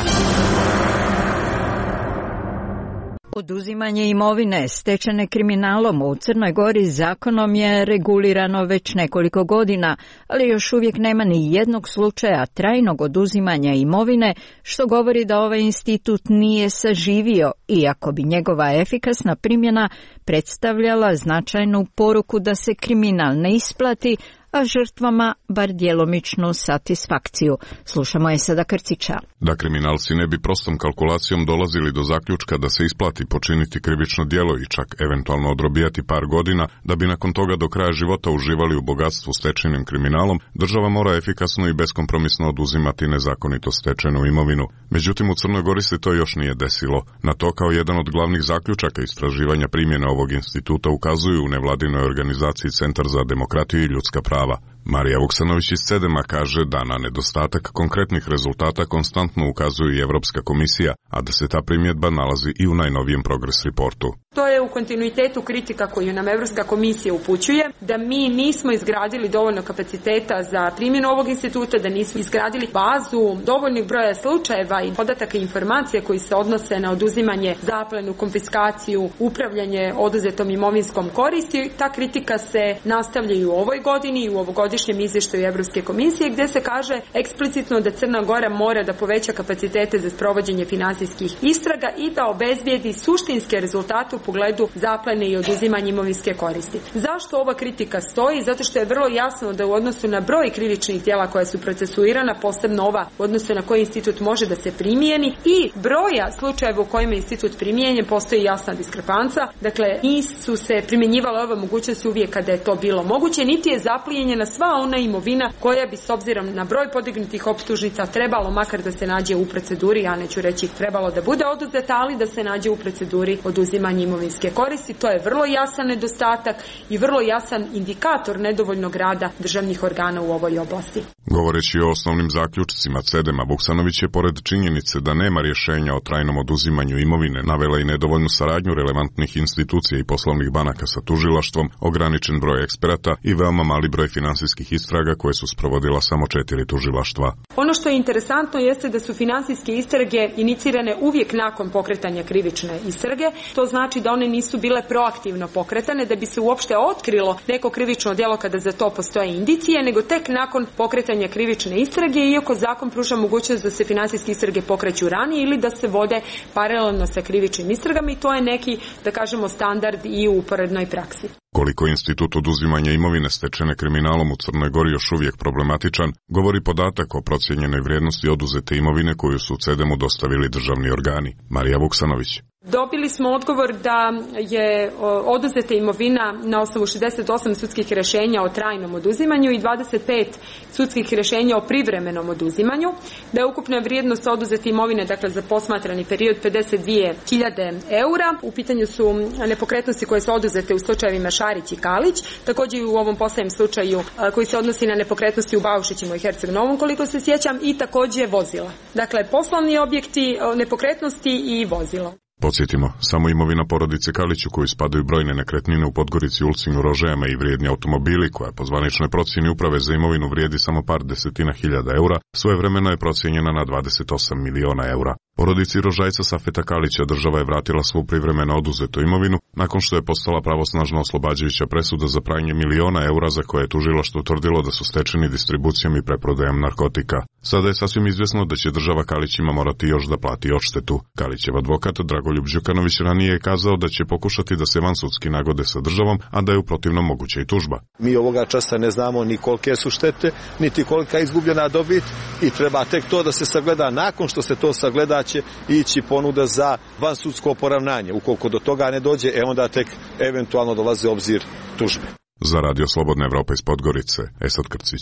Oduzimanje imovine stečene kriminalom u Crnoj Gori zakonom je regulirano već nekoliko godina, ali još uvijek nema ni jednog slučaja trajnog oduzimanja imovine, što govori da ovaj institut nije saživio, iako bi njegova efikasna primjena predstavljala značajnu poruku da se kriminal ne isplati, a žrtvama bar djelomičnu satisfakciju. Slušamo je sada Krcića. Da kriminalci ne bi prostom kalkulacijom dolazili do zaključka da se isplati počiniti krivično djelo i čak eventualno odrobijati par godina, da bi nakon toga do kraja života uživali u bogatstvu stečenim kriminalom, država mora efikasno i beskompromisno oduzimati nezakonito stečenu imovinu. Međutim, u Crnoj Gori se to još nije desilo. Na to kao jedan od glavnih zaključaka istraživanja primjene ovog instituta ukazuju u nevladinoj organizaciji Centar za demokratiju i ljudska prava. Marija Vuksanović iz Cedema kaže da na nedostatak konkretnih rezultata konstantno ukazuje i Evropska komisija, a da se ta primjedba nalazi i u najnovijem Progress reportu. To je u kontinuitetu kritika koju nam Evropska komisija upućuje, da mi nismo izgradili dovoljno kapaciteta za primjenu ovog instituta, da nismo izgradili bazu dovoljnih broja slučajeva i podataka i informacija koji se odnose na oduzimanje, zaplenu, konfiskaciju, upravljanje oduzetom imovinskom koristi. Ta kritika se nastavlja i u ovoj godini i u ovogodišnjem izvještaju Evropske komisije, gdje se kaže eksplicitno da Crna Gora mora da poveća kapacitete za sprovođenje finansijskih istraga i da obezbijedi suštinske rezultate u pogledu zaplene i oduzimanja imovinske koristi. Zašto ova kritika stoji? Zato što je vrlo jasno da u odnosu na broj krivičnih djela koja su procesuirana, posebno ova u odnosu na koji institut može da se primijeni, i broja slučajeva u kojima je institut primijenjen, postoji jasna diskrepanca. Dakle, nisu se primjenjivale ove mogućnosti uvijek kada je to bilo moguće, niti je zaplijenjena sva ona imovina koja bi s obzirom na broj podignutih optužnica trebalo makar da se nađe u proceduri, ja neću reći trebalo da bude oduzeta, ali da se nađe u proceduri oduzimanja imovinske koristi. To je vrlo jasan nedostatak i vrlo jasan indikator nedovoljnog rada državnih organa u ovoj oblasti. Govoreći o osnovnim zaključcima Cedema, Vuksanović je pored činjenice da nema rješenja o trajnom oduzimanju imovine navela i nedovoljnu saradnju relevantnih institucija i poslovnih banaka sa tužilaštvom, ograničen broj eksperata i veoma mali broj finansijskih istraga koje su sprovodila samo četiri tužilaštva. Ono što je interesantno jeste da su finansijske istrage inicirane uvijek nakon pokretanja krivične istrage. To znači da one nisu bile proaktivno pokretane da bi se uopšte otkrilo neko krivično djelo kada za to postoje indicije, nego tek nakon pokretanja krivične istrage, iako zakon pruža mogućnost da se finansijske istrage pokreću ranije ili da se vode paralelno sa krivičnim istragama, i to je neki, da kažemo, standard i u uporednoj praksi. Koliko institut oduzimanja imovine stečene kriminalom u Crnoj Gori još uvijek problematičan, govori podatak o procijenjenoj vrijednosti oduzete imovine koju su Cedemu dostavili državni organi. Marija Vuksanović. Dobili smo odgovor da je oduzeta imovina na osnovu šezdeset osam sudskih rješenja o trajnom oduzimanju i dvadeset pet sudskih rješenja o privremenom oduzimanju, da je ukupna vrijednost oduzete imovine, dakle za posmatrani period, pedeset dvije hiljade eura. U pitanju su nepokretnosti koje su oduzete u slučajevima Šarić i Kalić, također i u ovom posljednjem slučaju koji se odnosi na nepokretnosti u Baušićima i Herceg Novom, koliko se sjećam, i također vozila. Dakle, poslovni objekti, nepokretnosti i vozilo. Podsjetimo, samo imovina porodice Kalić u koju spadaju brojne nekretnine u Podgorici, Ulcinju, Rožajama i vrijedni automobili, koja po zvaničnoj procjeni uprave za imovinu vrijedi samo par desetina hiljada eura, svojevremeno je procijenjena na dvadeset osam miliona eura. Porodici Rožajca Safeta Kalića država je vratila svu privremeno oduzetu imovinu nakon što je postala pravosnažno oslobađajuća presuda za pranje miliona eura za koje je tužilaštvo utvrdilo da su stečeni distribucijom i preprodajom narkotika. Sada je sasvim izvjesno da će država Kalićima morati još da plati odštetu. Kalićev advokat Dragoljub Đukanović ranije je kazao da će pokušati da se vansudski nagode sa državom, a da je u protivnom moguća i tužba. Mi ovoga časa ne znamo ni kolike su štete, niti kolika je izgubljena dobit i treba tek to da se sagleda. Nakon što se to sagleda će ići ponuda za vansudsko poravnanje. Ukoliko do toga ne dođe, e onda tek eventualno dolaze obzir tužbe. Za Radio Slobodna Evropa iz Podgorice, Esad Krcić.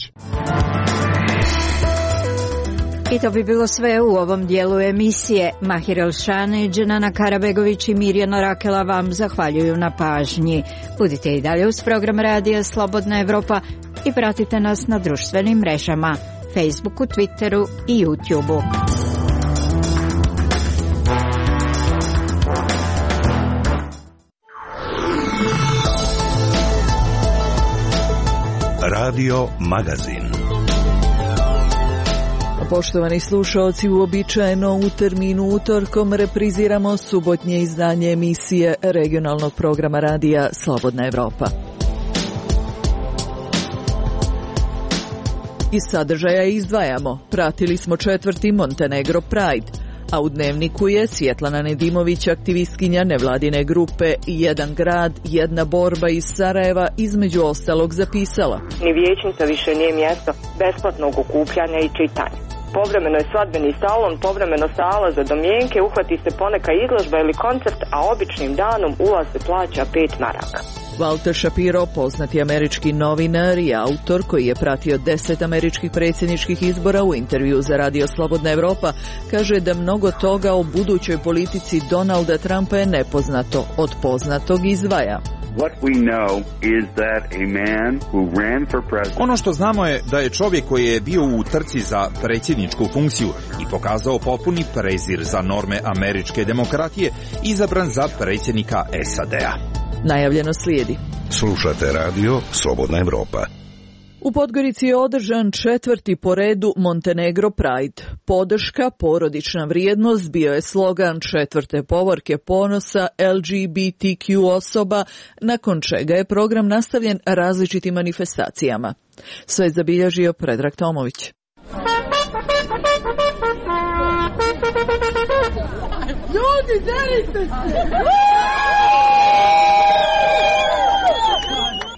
I to bi bilo sve u ovom dijelu emisije. Mahir Elšane, Dženana Karabegović i Mirjana Rakela vam zahvaljuju na pažnji. Budite i dalje uz program Radija Slobodna Evropa i pratite nas na društvenim mrežama, Facebooku, Twitteru i YouTubeu. Radio Magazin. Poštovani slušaoci, uobičajeno u terminu utorkom repriziramo subotnje izdanje emisije regionalnog programa radija Slobodna Evropa. Iz sadržaja izdvajamo: pratili smo četvrti Montenegro Pride, a u Dnevniku je Svjetlana Nedimović, aktivistkinja nevladine grupe Jedan grad, jedna borba iz Sarajeva, između ostalog zapisala: Ni vijećnica više nije mjesto besplatnog okupljanja i čitanja. Povremeno je svadbeni salon, povremeno sala za domjenke, uhvati se poneka izložba ili koncert, a običnim danom ulaz se plaća pet maraka. Walter Shapiro, poznati američki novinar i autor koji je pratio deset američkih predsjedničkih izbora, u intervju za Radio Slobodna Evropa kaže da mnogo toga o budućoj politici Donalda Trumpa je nepoznato, od poznatog izdvaja. Ono što znamo je da je čovjek koji je bio u trci za predsjedničku funkciju i pokazao potpuni prezir za norme američke demokratije, izabran za predsjednika S A D-a. Najavljeno slijedi. Slušate Radio Slobodna Evropa. U Podgorici je održan četvrti po redu Montenegro Pride. Podrška, porodična vrijednost bio je slogan četvrte povorke ponosa L G B T Q osoba, nakon čega je program nastavljen različitim manifestacijama. Sve je zabilježio Predrag Tomović. Ljudi, delite se!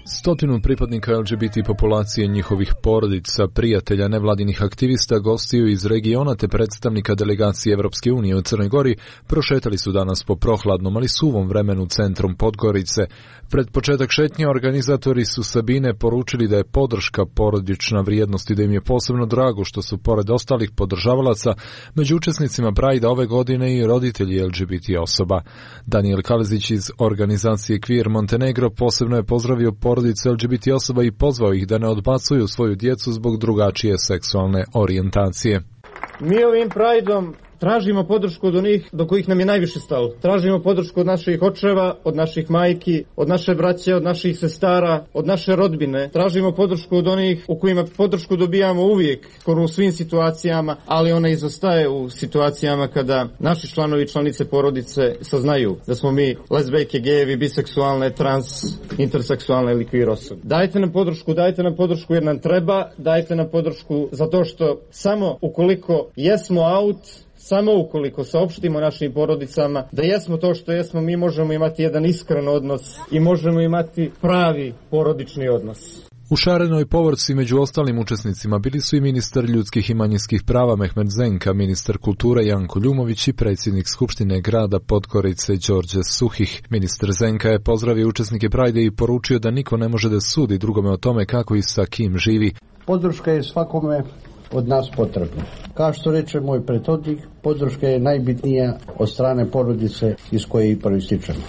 Stotinu pripadnika L G B T populacije, njihovih porodica, prijatelja, nevladinih aktivista, gostiju iz regiona te predstavnika delegacije Evropske unije u Crnoj Gori prošetali su danas po prohladnom, ali suvom vremenu centrom Podgorice. Pred početak šetnje organizatori su Sabine poručili da je podrška porodična vrijednost i da im je posebno drago što su pored ostalih podržavalaca među učesnicima Pride ove godine i roditelji L G B T osoba. Daniel Kalezić iz organizacije Queer Montenegro posebno je pozdravio porodice L G B T osoba i pozvao ih da ne odbacuju svoju djecu zbog drugačije seksualne orijentacije. Mi ovim Prideom tražimo podršku od onih do kojih nam je najviše stalo. Tražimo podršku od naših očeva, od naših majki, od naše braće, od naših sestara, od naše rodbine. Tražimo podršku od onih u kojima podršku dobijamo uvijek, skoro u svim situacijama, ali ona izostaje u situacijama kada naši članovi i članice porodice saznaju da smo mi lezbejke, gejevi, biseksualne, trans, interseksualne ili queer osobe. Dajte nam podršku, dajte nam podršku jer nam treba, dajte nam podršku zato što samo ukoliko jesmo out, samo ukoliko saopštimo našim porodicama da jesmo to što jesmo, mi možemo imati jedan iskren odnos i možemo imati pravi porodični odnos. U šarenoj povorci među ostalim učesnicima bili su i ministar ljudskih i manjinskih prava Mehmet Zenka, ministar kulture Janko Ljumović i predsjednik Skupštine grada Podgorice Đorđe Suhih. Ministar Zenka je pozdravio učesnike Prajde i poručio da niko ne može da sudi drugome o tome kako i sa kim živi. Podrška je svakome od nas potrebna. Kao što reče moj prethodnik, podrška je najbitnija od strane porodice iz koje i proističemo.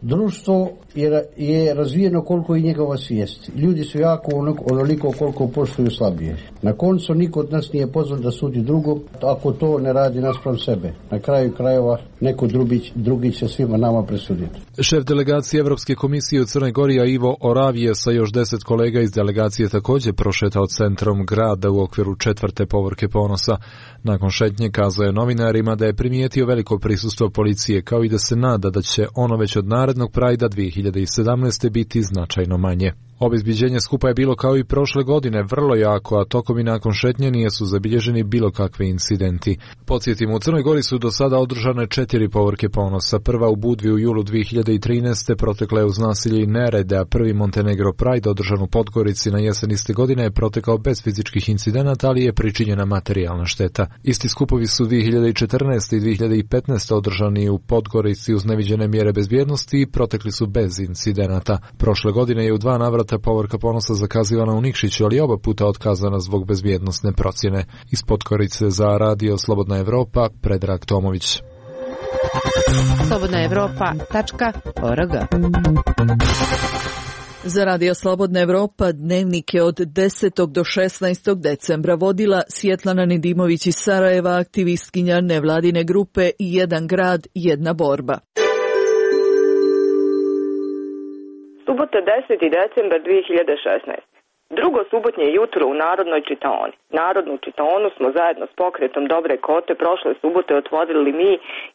Društvo je, je razvijeno koliko i njegova svijest. Ljudi su jako onoliko koliko poštuju slabije. Na koncu niko od nas nije pozvan da sudi drugom ako to ne radi naspram sebe. Na kraju krajeva neko drugi, drugi će svima nama presuditi. Šef delegacije Evropske komisije u Crnoj Gori Ivo Oravije sa još deset kolega iz delegacije također prošetao centrom grada u okviru četvrte povorke ponosa. Nakon šetnje kazao je novinarima da je primijetio veliko prisustvo policije, kao i da se nada da će ono već od narednog Prajda dvije hiljade sedamnaeste. biti značajno manje. Obezbiđenje skupa je bilo kao i prošle godine vrlo jako, a tokom i nakon šetnje nisu zabilježeni bilo kakve incidenti. Podsjetimo, u Crnoj Gori su do sada održane četiri povorke ponosa. Prva u Budvi u julu dvije hiljade trinaeste. protekla je uz nasilje i nerede, a prvi Montenegro Pride održan u Podgorici na jesen iste godine je protekao bez fizičkih incidenata, ali je pričinjena materijalna šteta. Isti skupovi su dvije hiljade četrnaeste. i dvije hiljade petnaeste. održani u Podgorici uz neviđene mjere bezbjednosti i protekli su bez incidenata. Prošle godine je u dva navrata povorka ponosa zakazivana u Nikšiću, ali oba puta otkazana zbog bezbjednosne procjene. Iz Podgorice za radio Slobodna Evropa, Predrag Tomović. slobodna evropa tačka org. Za radio Slobodna Evropa dnevnik je od desetog do šesnaestog decembra vodila Svjetlana Nedimović iz Sarajeva, aktivistkinja nevladine grupe Jedan grad, jedna borba. Subota deseti decembar dvije hiljade šesnaeste. Drugo subotnje jutro u Narodnoj čitaoni. Narodnu čitaonu smo zajedno s pokretom Dobre kote prošle subote otvorili mi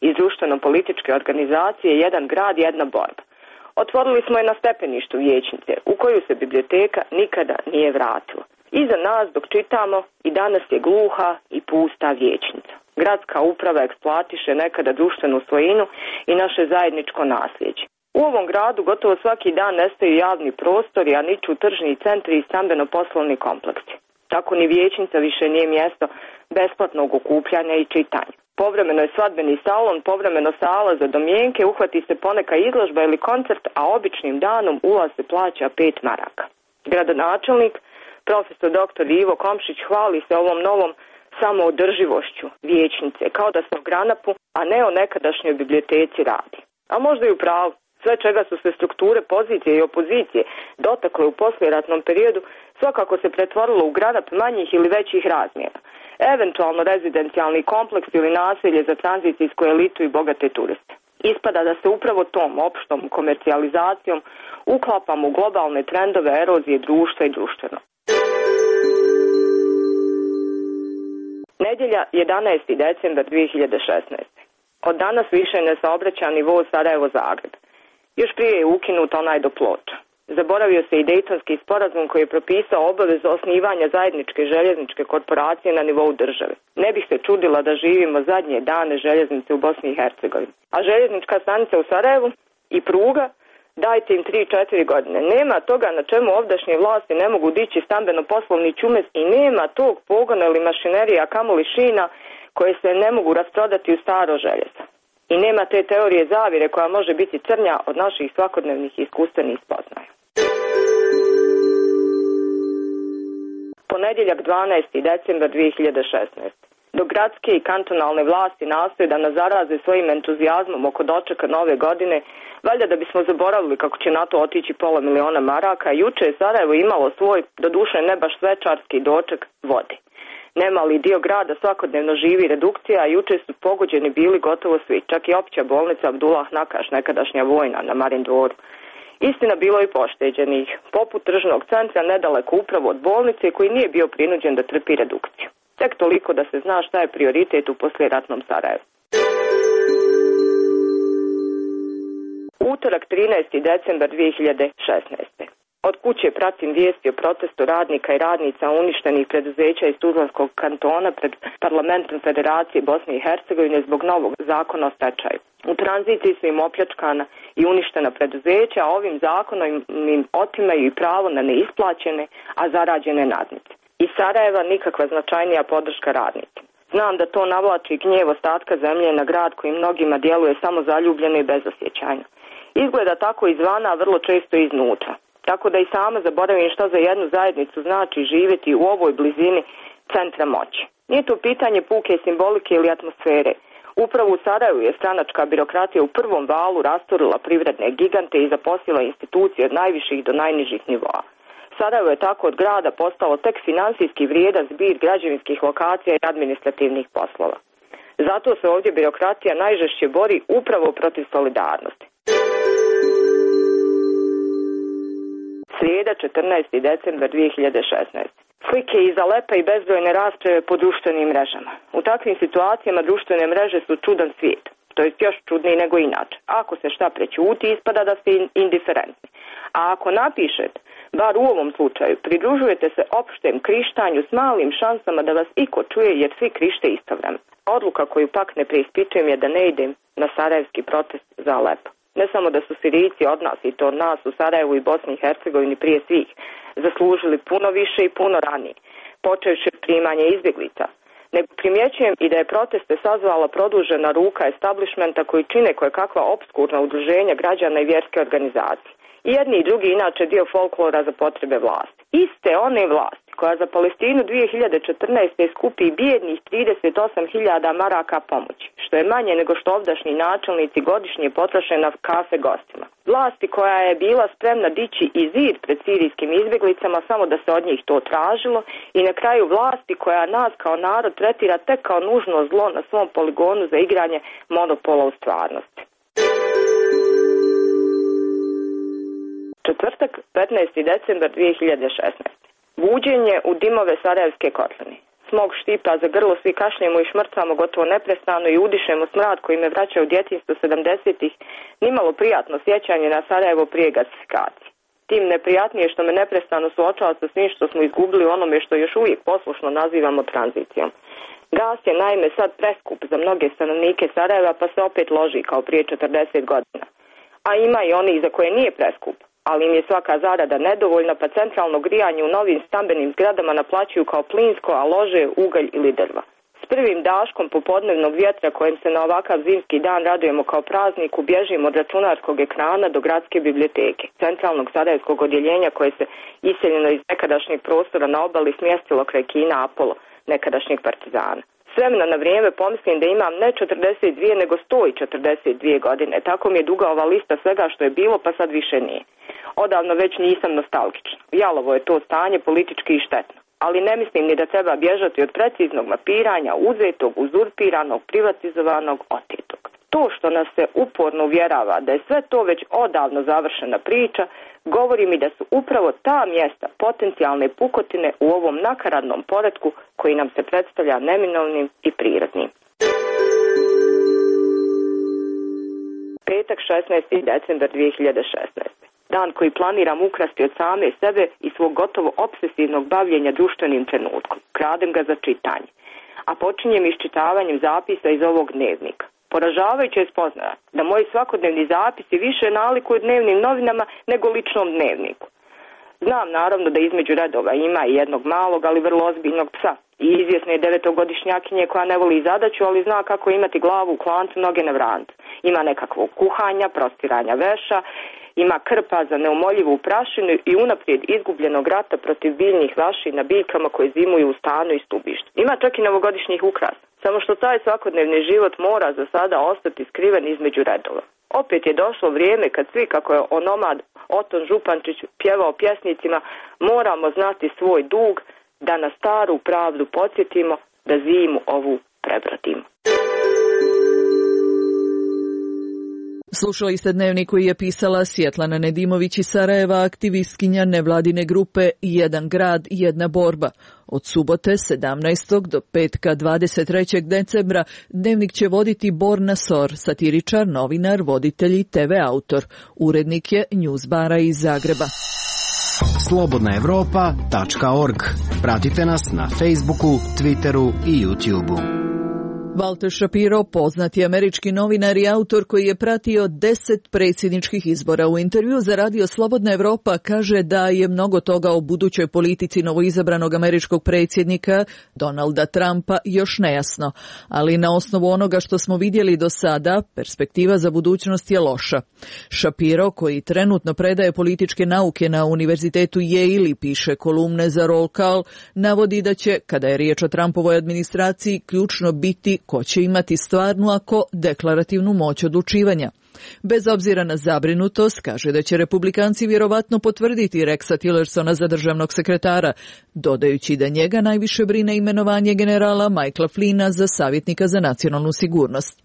iz društveno-političke organizacije Jedan grad, jedna borba. Otvorili smo je na stepeništu vijećnice, u koju se biblioteka nikada nije vratila. Iza nas dok čitamo i danas je gluha i pusta vijećnica. Gradska uprava eksploatiše nekada društvenu svojinu i naše zajedničko nasljeđe. U ovom gradu gotovo svaki dan nestaju javni prostori, a niču tržni centri i stambeno-poslovni kompleksi. Tako ni vijećnica više nije mjesto besplatnog okupljanja i čitanja. Povremeno je svadbeni salon, povremeno sala za domjenke, uhvati se poneka izložba ili koncert, a običnim danom ulaz se plaća pet maraka. Gradonačelnik, profesor doktor Ivo Komšić, hvali se ovom novom samoodrživošću vijećnice, kao da se o Granapu, a ne o nekadašnjoj biblioteci radi. A možda i u pravu. Sve čega su se strukture pozicije i opozicije dotakle u poslijeratnom periodu svakako se pretvorilo u granap manjih ili većih razmjera. Eventualno rezidencijalni kompleks ili naselje za tranzicijsku elitu i bogate turiste. Ispada da se upravo tom opštom komercijalizacijom uklapamo u globalne trendove erozije društva i društveno. Nedjelja jedanaesti decembar dvije hiljade šesnaeste. Od danas više ne saobraća ni voz Sarajevo-Zagreb. Još prije je ukinut onaj do Ploča. Zaboravio se i Dejtonski sporazum koji je propisao obavezu osnivanja zajedničke željezničke korporacije na nivou države. Ne bih se čudila da živimo zadnje dane željeznice u Bosni i Hercegovini. A željeznička stanica u Sarajevu i pruga, dajte im tri četiri godine. Nema toga na čemu ovdašnje vlasti ne mogu dići stambeno-poslovni čumes i nema tog pogona ili mašinerija, kamoli šina koje se ne mogu rasprodati u staro željezo. I nema te teorije zavire koja može biti crnja od naših svakodnevnih iskustvenih spoznaja. Ponedjeljak dvanaesti decembar dvije hiljade šesnaeste. Dok gradske i kantonalne vlasti nastoje da nas zaraze svojim entuzijazmom oko dočeka nove godine, valjda da bismo zaboravili kako će na to otići pola miliona maraka, juče je Sarajevo imalo svoj, doduše ne baš svečarski doček vode. Nemali dio grada svakodnevno živi redukcija, a juče su pogođeni bili gotovo svi, čak i opća bolnica Abdullah Nakaš, nekadašnja vojna na Marin dvoru. Istina, bilo i pošteđenih, poput tržnog centra nedaleko upravo od bolnice koji nije bio prinuđen da trpi redukciju. Tek toliko da se zna šta je prioritet u poslijeratnom Sarajevu. Utorak trinaesti decembar dvije hiljade šesnaeste. Od kuće pratim vijesti o protestu radnika i radnica uništenih preduzeća iz Tuzlanskog kantona pred parlamentom Federacije Bosne i Hercegovine zbog novog zakona o stečaju. U tranziciji su im opljačkana i uništena preduzeća, a ovim zakonom im otimaju i pravo na neisplaćene, a zarađene nadnice. Iz Sarajeva nikakva značajnija podrška radnicima. Znam da to navlači gnjev ostatka zemlje na grad koji mnogima djeluje samo zaljubljeno i bezosjećajno. Izgleda tako izvana, a vrlo često iznutra. Tako da i sama zaboravim što za jednu zajednicu znači živjeti u ovoj blizini centra moći. Nije to pitanje puke simbolike ili atmosfere. Upravo u Sarajevu je stranačka birokratija u prvom valu rasturila privredne gigante i zaposlila institucije od najviših do najnižih nivoa. Sarajevo je tako od grada postalo tek finansijski vrijedan zbir građevinskih lokacija i administrativnih poslova. Zato se ovdje birokratija najžešće bori upravo protiv solidarnosti. Srijeda, četrnaesti decembar dvije hiljade šesnaeste. Slike iz Alepa i bezbrojne rasprave po društvenim mrežama. U takvim situacijama društvene mreže su čudan svijet, to je još čudniji nego inače. Ako se šta prećuti, ispada da ste indiferentni. A ako napišete, bar u ovom slučaju, pridružujete se opštem krištanju s malim šansama da vas iko čuje jer svi krište istovremeno. Odluka koju pak ne preispitujem je da ne idem na sarajevski protest za Alepo. Ne samo da su Sirijci od nas, i to od nas u Sarajevu i Bosni i Hercegovini prije svih, zaslužili puno više i puno ranije, počevši od primanja izbjeglica, nego primjećujem i da je proteste sazvala produžena ruka establishmenta koji čine koje kakva opskurna udruženja građana i vjerske organizacije. I jedni i drugi inače dio folklora za potrebe vlasti. Iste one vlasti koja za Palestinu dvije hiljade četrnaeste skupi bijednih trideset osam hiljada maraka pomoći, što je manje nego što ovdašnji načelnici godišnje potroše na kafe gostima. Vlasti koja je bila spremna dići i zid pred sirijskim izbjeglicama samo da se od njih to tražilo i na kraju vlasti koja nas kao narod tretira tek kao nužno zlo na svom poligonu za igranje monopola u stvarnosti. Četvrtak, petnaesti decembar dvije hiljade šesnaeste. Buđenje u dimove Sarajevske kotline. Smog štipa za grlo, svi kašljemo i šmrcamo gotovo neprestano i udišemo smrad koji me vraća u djetinjstvo sedamdesetih, nimalo prijatno sjećanje na Sarajevo prije gasifikacije. Tim neprijatnije što me neprestano suočava sa svim što smo izgubili onome što još uvijek poslušno nazivamo tranzicijom. Gas je naime sad preskup za mnoge stanovnike Sarajeva pa se opet loži kao prije četrdeset godina. A ima i onih za koje nije preskup, ali im je svaka zarada nedovoljna pa centralno grijanje u novim stambenim zgradama naplaćuju kao plinsko, a lože ugalj ili drva. S prvim daškom popodnevnog vjetra kojim se na ovakav zimski dan radujemo kao prazniku bježimo od računarskog ekrana do gradske biblioteke, centralnog sarajevskog odjeljenja koje se iseljeno iz nekadašnjeg prostora na obali smjestilo kraj kina Apollo, nekadašnjeg partizana. S vremena na vrijeme pomislim da imam ne četrdeset dvije nego sto četrdeset dvije godine. Tako mi je duga ova lista svega što je bilo pa sad više nije. Odavno već nisam nostalgična. Jalovo je to stanje politički i štetno. Ali ne mislim ni da treba bježati od preciznog mapiranja uzetog, uzurpiranog, privatizovanog, otetog. To što nas se uporno uvjerava da je sve to već odavno završena priča, govori mi da su upravo ta mjesta potencijalne pukotine u ovom nakaradnom poretku koji nam se predstavlja neminovnim i prirodnim. Petak, šesnaesti decembar dvije hiljade šesnaeste. Dan koji planiram ukrasti od same sebe i svog gotovo obsesivnog bavljenja društvenim trenutkom. Kradem ga za čitanje. A počinjem iščitavanjem zapisa iz ovog dnevnika. Poražavajuće je spoznaja da moji svakodnevni zapisi više nalikuju dnevnim novinama nego ličnom dnevniku. Znam naravno da između redova ima i jednog malog, ali vrlo ozbiljnog psa. I izvjesne je devetogodišnjakinje koja ne voli zadaću, ali zna kako imati glavu u klancu, noge na vrancu. Ima nekakvog kuhanja, prostiranja veša, ima krpa za neumoljivu prašinu i unaprijed izgubljenog rata protiv biljnih vaši na biljkama koje zimuju u stanu i stubištu. Ima čak i novogodišnjih ukrasa. Samo što taj svakodnevni život mora za sada ostati skriven između redova. Opet je došlo vrijeme kad svi, kako je onomad Oton Župančić pjevao pjesnicima, moramo znati svoj dug, da na staru pravdu podsjetimo, da zimu ovu prebrodimo. Slušali ste dnevnik koji je pisala Svjetlana Nedimović iz Sarajeva, aktivistkinja nevladine grupe Jedan grad, jedna borba. Od subote sedamnaestog do petka dvadeset trećeg decembra dnevnik će voditi Borna Sor, satiričar, novinar, voditelj i te ve autor. Urednik je Newsbara iz Zagreba. slobodna europa tačka org. Pratite nas na Facebooku, Twitteru i YouTubeu. Walter Shapiro, poznati američki novinar i autor koji je pratio deset predsjedničkih izbora, u intervju za radio Slobodna Europa kaže da je mnogo toga o budućoj politici novoizabranog američkog predsjednika Donalda Trumpa još nejasno, ali na osnovu onoga što smo vidjeli do sada, perspektiva za budućnost je loša. Shapiro, koji trenutno predaje političke nauke na Univerzitetu Yale i piše kolumne za Roll Call, navodi da će, kada je riječ o Trumpovoj administraciji, ključno biti ko će imati stvarnu ako deklarativnu moć odlučivanja. Bez obzira na zabrinutost, kaže da će republikanci vjerovatno potvrditi Rexa Tillersona za državnog sekretara, dodajući da njega najviše brine imenovanje generala Michaela Flynna za savjetnika za nacionalnu sigurnost.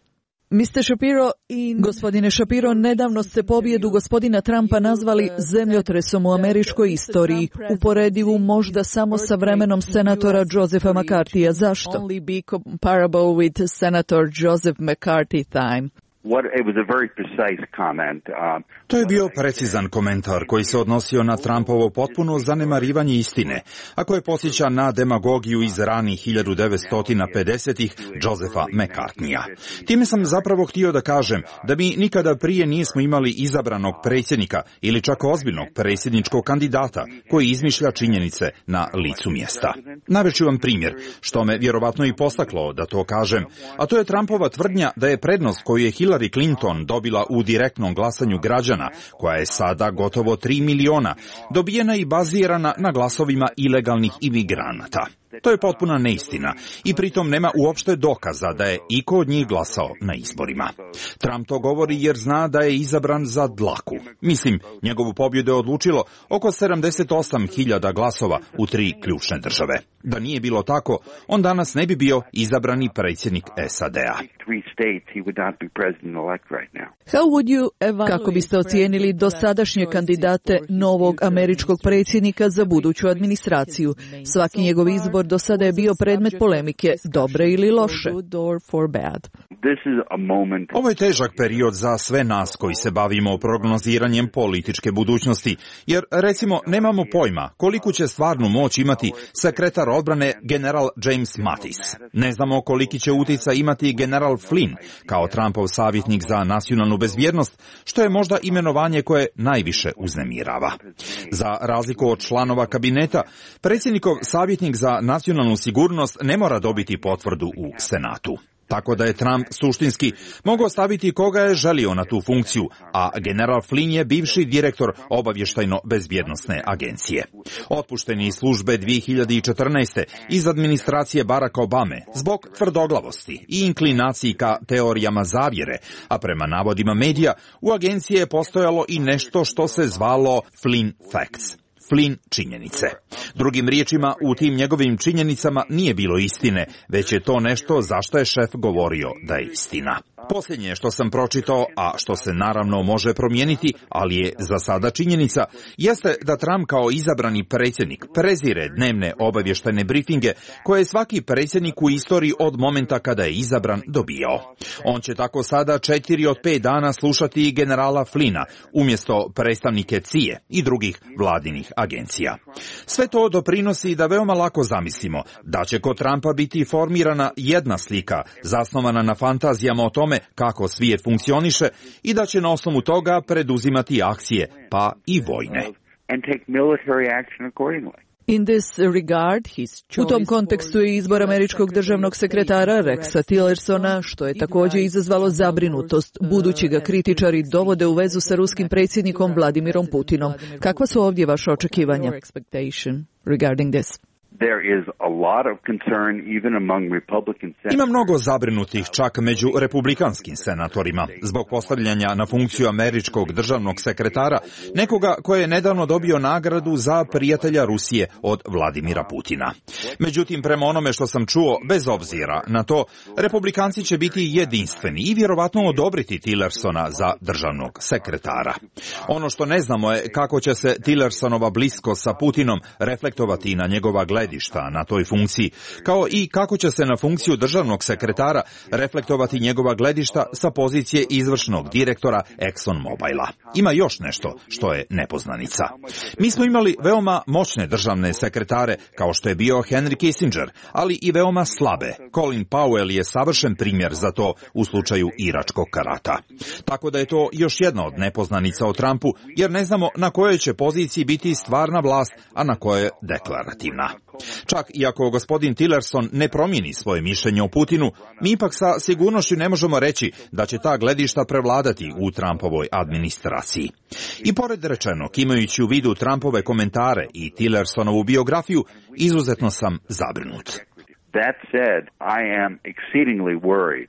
mister Shapiro i gospodine Shapiro, nedavno ste pobjedu gospodina Trumpa nazvali zemljotresom u američkoj istoriji, uporedivu možda samo sa vremenom senatora Josepha McCarthyja. Zašto? Only be comparable with Senator Joseph McCarthy time. What, it was a very precise comment. Um, To je bio precizan komentar koji se odnosio na Trumpovo potpuno zanemarivanje istine, a koje podsjeća na demagogiju iz ranih hiljadu devetsto pedesetih Josepha McCarthyja. Time sam zapravo htio da kažem da mi nikada prije nismo imali izabranog predsjednika ili čak ozbiljnog predsjedničkog kandidata koji izmišlja činjenice na licu mjesta. Navešću vam primjer, što me vjerovatno i postaklo da to kažem, a to je Trumpova tvrdnja da je prednost koju je Hillary Clinton dobila u direktnom glasanju građana, koja je sada gotovo tri miliona, dobijena i bazirana na glasovima ilegalnih imigranata. To je potpuna neistina i pritom nema uopšte dokaza da je iko od njih glasao na izborima. Trump to govori jer zna da je izabran za dlaku. Mislim, njegovu pobjedu je odlučilo oko sedamdeset osam hiljada glasova u tri ključne države. Da nije bilo tako, on danas ne bi bio izabrani predsjednik S A D-a. Kako biste ocijenili dosadašnje kandidate novog američkog predsjednika za buduću administraciju? Svaki njegov izbor do sada je bio predmet polemike, dobre ili loše. Ovo je težak period za sve nas koji se bavimo prognoziranjem političke budućnosti, jer recimo nemamo pojma koliku će stvarnu moć imati sekretar odbrane general James Mattis. Ne znamo koliki će utjecaj imati general Flynn kao Trumpov savjetnik za nacionalnu bezbjednost, što je možda imenovanje koje najviše uznemirava. Za razliku od članova kabineta, predsjednikov savjetnik za nacionalnu sigurnost ne mora dobiti potvrdu u Senatu. Tako da je Trump suštinski mogao staviti koga je želio na tu funkciju, a general Flynn je bivši direktor obavještajno-bezbjednosne agencije. Otpušteni iz službe dvije hiljade četrnaeste. iz administracije Baracka Obame zbog tvrdoglavosti i inklinaciji ka teorijama zavjere, a prema navodima medija u agenciji je postojalo i nešto što se zvalo Flynn Facts. Flynn činjenice. Drugim riječima, u tim njegovim činjenicama nije bilo istine, već je to nešto zašto je šef govorio da je istina. Posljednje što sam pročitao, a što se naravno može promijeniti, ali je za sada činjenica, jeste da Trump kao izabrani predsjednik prezire dnevne obavještajne brifinge koje je svaki predsjednik u istoriji od momenta kada je izabran dobijao. On će tako sada četiri od pet dana slušati generala Flynna umjesto predstavnike C I A i drugih vladinih agencija. Sve to doprinosi da veoma lako zamislimo da će kod Trumpa biti formirana jedna slika zasnovana na fantazijama o tome kako svijet funkcioniše i da će na osnovu toga preduzimati akcije, pa i vojne. In this regard, u tom kontekstu je izbor američkog državnog sekretara Rexa Tillersona, što je također izazvalo zabrinutost, budući ga kritičari dovode u vezu sa ruskim predsjednikom Vladimirom Putinom. Kakva su ovdje vaše očekivanja? Ima mnogo zabrinutih čak među republikanskim senatorima zbog postavljanja na funkciju američkog državnog sekretara nekoga koji je nedavno dobio nagradu za prijatelja Rusije od Vladimira Putina. Međutim, prema onome što sam čuo, bez obzira na to, republikanci će biti jedinstveni i vjerovatno odobriti Tillersona za državnog sekretara. Ono što ne znamo je kako će se Tillersonova bliskost sa Putinom reflektovati na njegova gledišta na toj funkciji, kao i kako će se na funkciju državnog sekretara reflektovati njegova gledišta sa pozicije izvršnog direktora ExxonMobila. Ima još nešto što je nepoznanica. Mi smo imali veoma moćne državne sekretare, kao što je bio Henry Kissinger, ali i veoma slabe. Colin Powell je savršen primjer za to u slučaju iračkog rata. Tako da je to još jedna od nepoznanica o Trumpu, jer ne znamo na kojoj će poziciji biti stvarna vlast, a na kojoj deklarativna. Čak i ako gospodin Tillerson ne promijeni svoje mišljenje o Putinu, mi ipak sa sigurnošću ne možemo reći da će ta gledišta prevladati u Trumpovoj administraciji. I pored rečenog, imajući u vidu Trumpove komentare i Tillersonovu biografiju, izuzetno sam zabrinut. That said, I am exceedingly worried.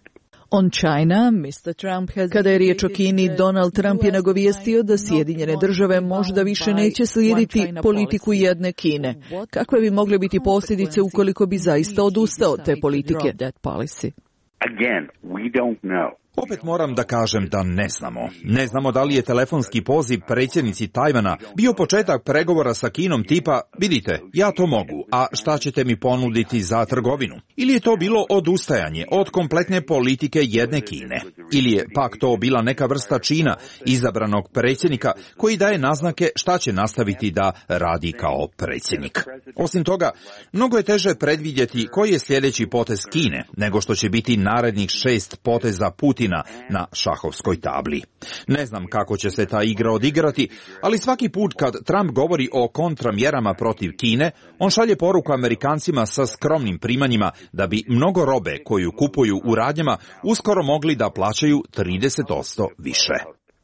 On China, mister Trump has... Kada je riječ o Kini, Donald Trump je nagovijestio da Sjedinjene države možda više neće slijediti politiku jedne Kine. Kakve bi mogle biti posljedice ukoliko bi zaista odustao od te politike? Again, we don't know. Opet moram da kažem da ne znamo. Ne znamo da li je telefonski poziv predsjednici Tajvana bio početak pregovora sa Kinom tipa, vidite, ja to mogu, a šta ćete mi ponuditi za trgovinu? Ili je to bilo odustajanje od kompletne politike jedne Kine? Ili je pak to bila neka vrsta čina izabranog predsjednika koji daje naznake šta će nastaviti da radi kao predsjednik? Osim toga, mnogo je teže predvidjeti koji je sljedeći potez Kine nego što će biti narednih šest poteza Putina na šahovskoj tabli. Ne znam kako će se ta igra odigrati, ali svaki put kad Trump govori o kontramjerama protiv Kine, on šalje poruku Amerikancima sa skromnim primanjima da bi mnogo robe koju kupuju u radnjama uskoro mogli da plaćaju trideset posto više.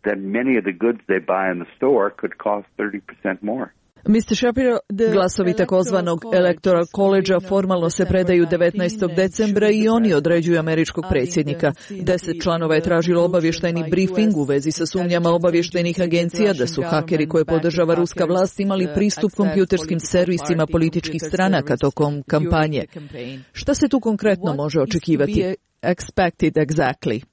That many of the goods they buy in the store could cost thirty percent more. mister Shapiro, glasovi takozvanog Electoral College-a formalno se predaju devetnaestog decembra i oni određuju američkog predsjednika. Deset članova je tražilo obavještajni briefing u vezi sa sumnjama obavještajnih agencija da su hakeri koje podržava ruska vlast imali pristup kompjuterskim servisima političkih stranaka tokom kampanje. Šta se tu konkretno može očekivati? Expected exactly.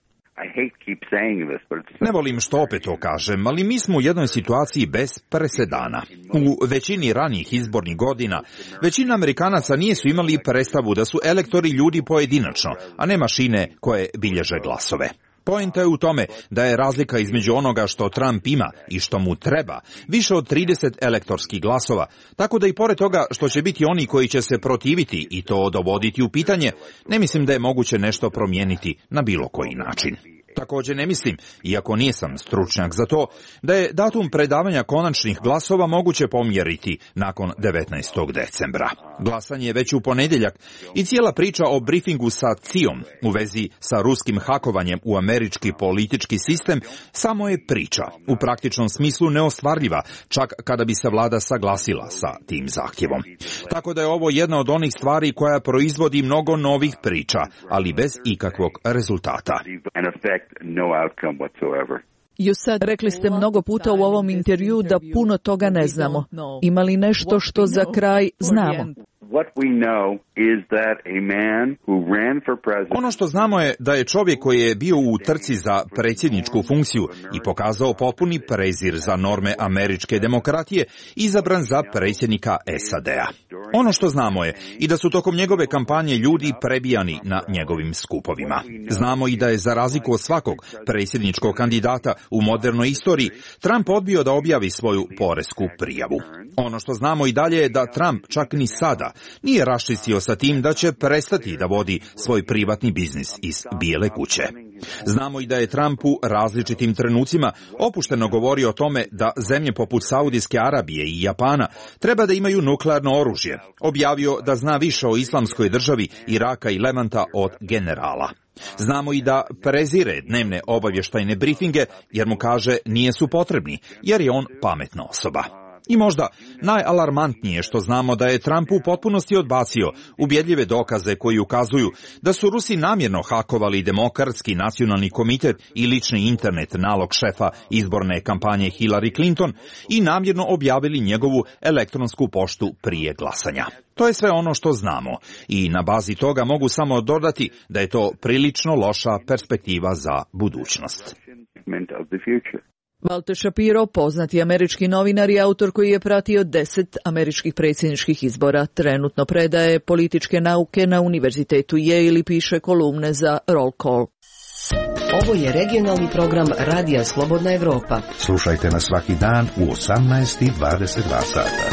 Ne volim što opet to kažem, ali mi smo u jednoj situaciji bez presedana. U većini ranijih izbornih godina, većina Amerikanaca nisu imali predstavu da su elektori ljudi pojedinačno, a ne mašine koje bilježe glasove. Poenta je u tome da je razlika između onoga što Trump ima i što mu treba više od trideset elektorskih glasova, tako da i pored toga što će biti oni koji će se protiviti i to dovoditi u pitanje, ne mislim da je moguće nešto promijeniti na bilo koji način. Također ne mislim, iako nisam stručnjak za to, da je datum predavanja konačnih glasova moguće pomjeriti nakon devetnaestog decembra. Glasanje je već u ponedjeljak i cijela priča o briefingu sa C I A-om u vezi sa ruskim hakovanjem u američki politički sistem samo je priča, u praktičnom smislu neostvarljiva, čak kada bi se vlada saglasila sa tim zahtjevom. Tako da je ovo jedna od onih stvari koja proizvodi mnogo novih priča, ali bez ikakvog rezultata. No outcome whatsoever. You said, rekli ste mnogo puta u ovom intervju da puno toga ne znamo. Ima li nešto što za kraj znamo? What we know is that a man who ran for president... Ono što znamo je da je čovjek koji je bio u trci za predsjedničku funkciju i pokazao potpuni prezir za norme američke demokratije, izabran za predsjednika S A D-a. Ono što znamo je i da su tokom njegove kampanje ljudi prebijani na njegovim skupovima. Znamo i da je za razliku od svakog predsjedničkog kandidata u modernoj istoriji, Trump odbio da objavi svoju poresku prijavu. Ono što znamo i dalje je da Trump čak ni sada nije raščistio sa tim da će prestati da vodi svoj privatni biznis iz Bijele kuće. Znamo i da je Trump u različitim trenucima opušteno govorio o tome da zemlje poput Saudijske Arabije i Japana treba da imaju nuklearno oružje. Objavio da zna više o islamskoj državi Iraka i Levanta od generala. Znamo i da prezire dnevne obavještajne briefinge jer mu kaže nije su potrebni, jer je on pametna osoba. I možda najalarmantnije što znamo da je Trump u potpunosti odbacio ubjedljive dokaze koji ukazuju da su Rusi namjerno hakovali Demokratski nacionalni komitet i lični internet nalog šefa izborne kampanje Hillary Clinton i namjerno objavili njegovu elektronsku poštu prije glasanja. To je sve ono što znamo i na bazi toga mogu samo dodati da je to prilično loša perspektiva za budućnost. Walter Shapiro, poznati američki novinar i autor koji je pratio deset američkih predsjedničkih izbora, trenutno predaje političke nauke na Univerzitetu Yale i piše kolumne za Roll Call. Ovo je regionalni program Radija Slobodna Evropa. Slušajte nas svaki dan u osamnaest i dvadeset dva sata.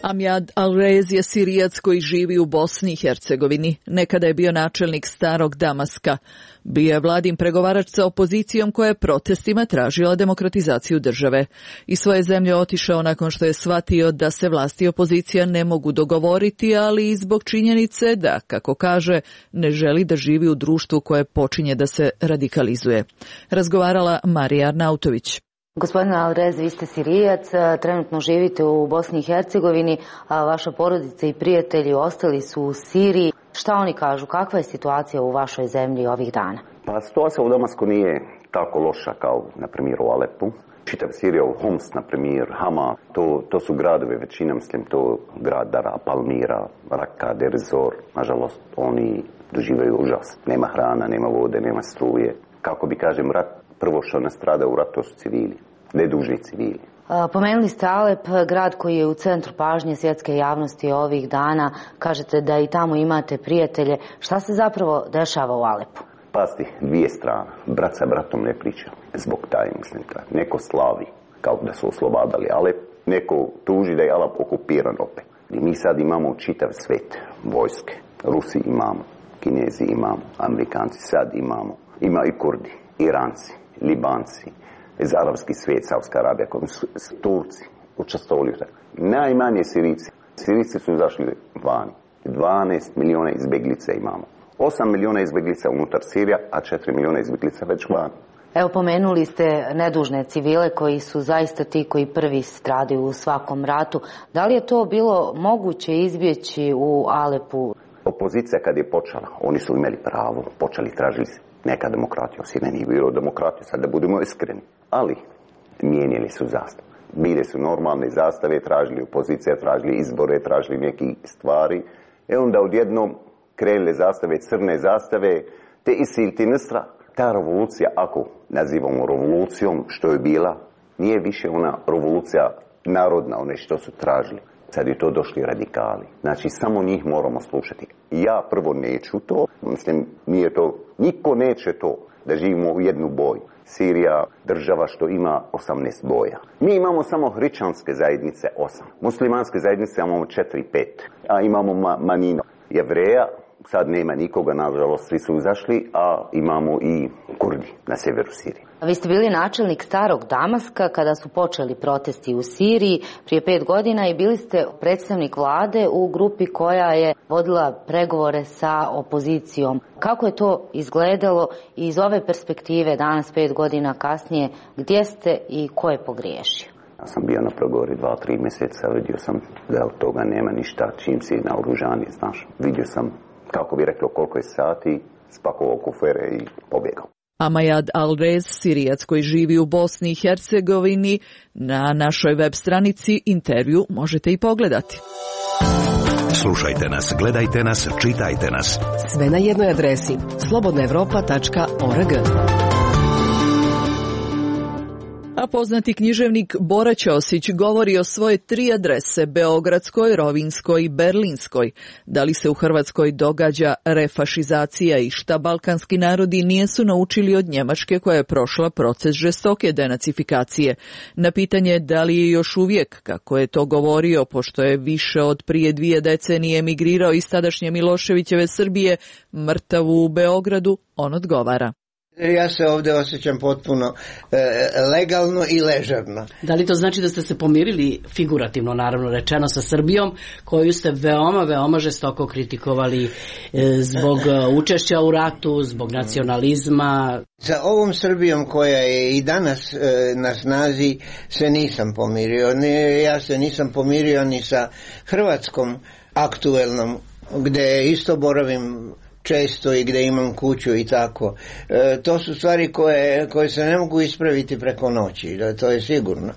Amjad Alrez je Sirijac koji živi u Bosni i Hercegovini. Nekada je bio načelnik starog Damaska. Bio je vladin pregovarač sa opozicijom koja je protestima tražila demokratizaciju države. Iz svoje zemlje otišao nakon što je shvatio da se vlast i opozicija ne mogu dogovoriti, ali i zbog činjenice da, kako kaže, ne želi da živi u društvu koje počinje da se radikalizuje. Razgovarala Marija Arnautović. Gospodine Alrez, vi ste Sirijac, trenutno živite u Bosni i Hercegovini, a vaša porodica i prijatelji ostali su u Siriji. Šta oni kažu? Kakva je situacija u vašoj zemlji ovih dana? Pa situacija u Damasku nije tako loša kao, na primjer, u Alepu. Čitav Sirija, Homs, na primjer, Hama, to, to su gradovi, većina, mislim, to grad Dara, Palmira, Raka, Derzor. Nažalost, oni doživaju užas. Nema hrana, nema vode, nema struje. Kako bi, kažem, rat, prvo što nastrada u ratu su civili, nedužni civili. Pomenuli ste Alep, grad koji je u centru pažnje svjetske javnosti ovih dana. Kažete da i tamo imate prijatelje. Šta se zapravo dešava u Alepu? Pasti, dvije strane. Brat sa bratom ne priča. Zbog taj, mislim, taj. Neko slavi, kao da su oslobadali Alep. Neko tuži da je Alep okupiran opet. I mi sad imamo čitav svet vojske. Rusi imamo, Kinezi imamo, Amerikanci sad imamo. Ima i Kurdi, Iranci, Libanci, iz arapski svijet, Saudska Arabija, Turci učestvovali. Najmanje Sirici. Sirici su zašli vani. dvanaest milijuna izbjeglica imamo. osam milijuna izbjeglica unutar Sirija, a četiri milijuna izbjeglica već vani. Evo, pomenuli ste nedužne civile koji su zaista ti koji prvi stradaju u svakom ratu. Da li je to bilo moguće izbjeći u Alepu? Opozicija kad je počela, oni su imali pravo, počeli tražiti neka demokratija. Sine nije bilo demokratija, sad da budemo iskreni. Ali mijenjali su zastave. Bile su normalne zastave, tražili opozicija, tražili izbore, tražili neke stvari. E onda odjednom krenule zastave, crne zastave, te isilti Nusra. Ta revolucija, ako nazivamo revolucijom, što je bila, nije više ona revolucija narodna, one što su tražili. Sad je to došli radikali. Znači, samo njih moramo slušati. Ja prvo neću to, mislim, nije to, niko neće to, da živimo u jednu boju. Sirija, država što ima osamnaest boja. Mi imamo samo hrišćanske zajednice osam. Muslimanske zajednice imamo četiri, pet. A imamo ma manjino Jevreja, sad nema nikoga, nažalost, svi su izašli, a imamo i Kurdi na sjeveru Sirije. Vi ste bili načelnik Starog Damaska kada su počeli protesti u Siriji prije pet godina i bili ste predstavnik vlade u grupi koja je vodila pregovore sa opozicijom. Kako je to izgledalo i iz ove perspektive danas pet godina kasnije, gdje ste i ko je pogriješio? Ja sam bio na pregovori dva, tri mjeseca, vidio sam da od toga nema ništa, čim si naoružan, znaš. Vidio sam, kako bi rekao, koliko je sati, spakovao kufere i pobjegao. Amayad Alrez, Sirijac koji živi u Bosni i Hercegovini, na našoj web stranici intervju možete i pogledati. Slušajte nas, gledajte nas, čitajte nas. Sve na jednoj adresi slobodna evropa tačka org. A poznati književnik Bora Ćosić govori o svoje tri adrese, beogradskoj, rovinskoj i berlinskoj. Da li se u Hrvatskoj događa refašizacija i šta balkanski narodi nijesu naučili od Njemačke koja je prošla proces žestoke denacifikacije? Na pitanje da li je još uvijek, kako je to govorio, pošto je više od prije dvije decenije emigrirao iz tadašnje Miloševićeve Srbije, mrtav u Beogradu, on odgovara. Ja se ovdje osjećam potpuno e, legalno i ležerno. Da li to znači da ste se pomirili, figurativno naravno rečeno, sa Srbijom, koju ste veoma, veoma žestoko kritikovali e, zbog učešća u ratu, zbog nacionalizma? Sa ovom Srbijom koja je i danas e, na snazi se nisam pomirio. Ne, ja se nisam pomirio ni sa Hrvatskom aktuelnom, gdje isto boravim često i gdje imam kuću i tako. E, to su stvari koje, koje se ne mogu ispraviti preko noći, da, to je sigurno.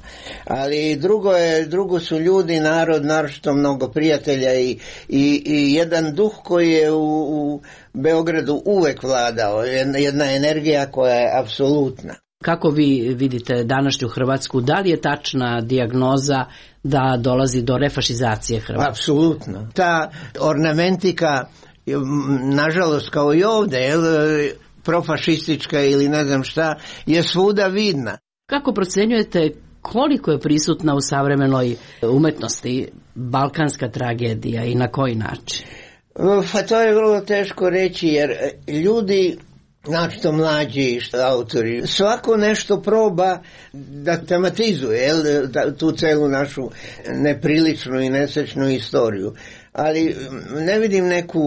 Ali drugo, je, drugo su ljudi, narod, naročito mnogo prijatelja i, i, i jedan duh koji je u, u Beogradu uvek vladao, jedna energija koja je apsolutna. Kako vi vidite današnju Hrvatsku? Da li je tačna dijagnoza da dolazi do refašizacije Hrvatske? Apsolutno. Ta ornamentika, nažalost kao i ovdje, jel, profašistička ili ne znam šta, je svuda vidna. Kako procjenjujete koliko je prisutna u savremenoj umetnosti balkanska tragedija i na koji način? Pa to je vrlo teško reći, jer ljudi, znači to mlađi autori, svako nešto proba da tematizuje, jel, tu celu našu nepriličnu i nesrećnu istoriju. Ali ne vidim neku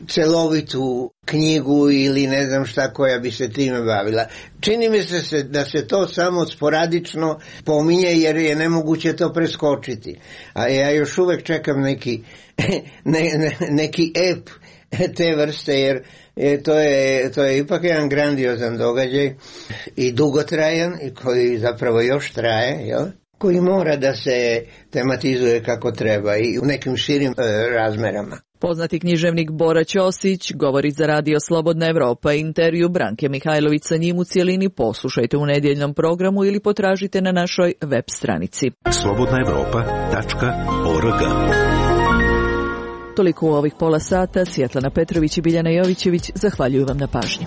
celovitu knjigu ili ne znam šta koja bi se time bavila. Čini mi se da se to samo sporadično pominje jer je nemoguće to preskočiti. A ja još uvek čekam neki, ne, ne, neki ep te vrste, jer to je, to je ipak jedan grandiozan događaj i dugotrajan i koji zapravo još traje, jel? Koji mora da se tematizuje kako treba i u nekim širim e, razmerama. Poznati književnik Bora Ćosić govori za Radio Slobodna Evropa. Intervju Branke Mihajlović sa njim u cijelini poslušajte u nedjeljnom programu ili potražite na našoj web stranici. slobodna evropa tačka org. Toliko u ovih pola sata. Svjetlana Petrović i Biljana Jovićević zahvaljuju vam na pažnji.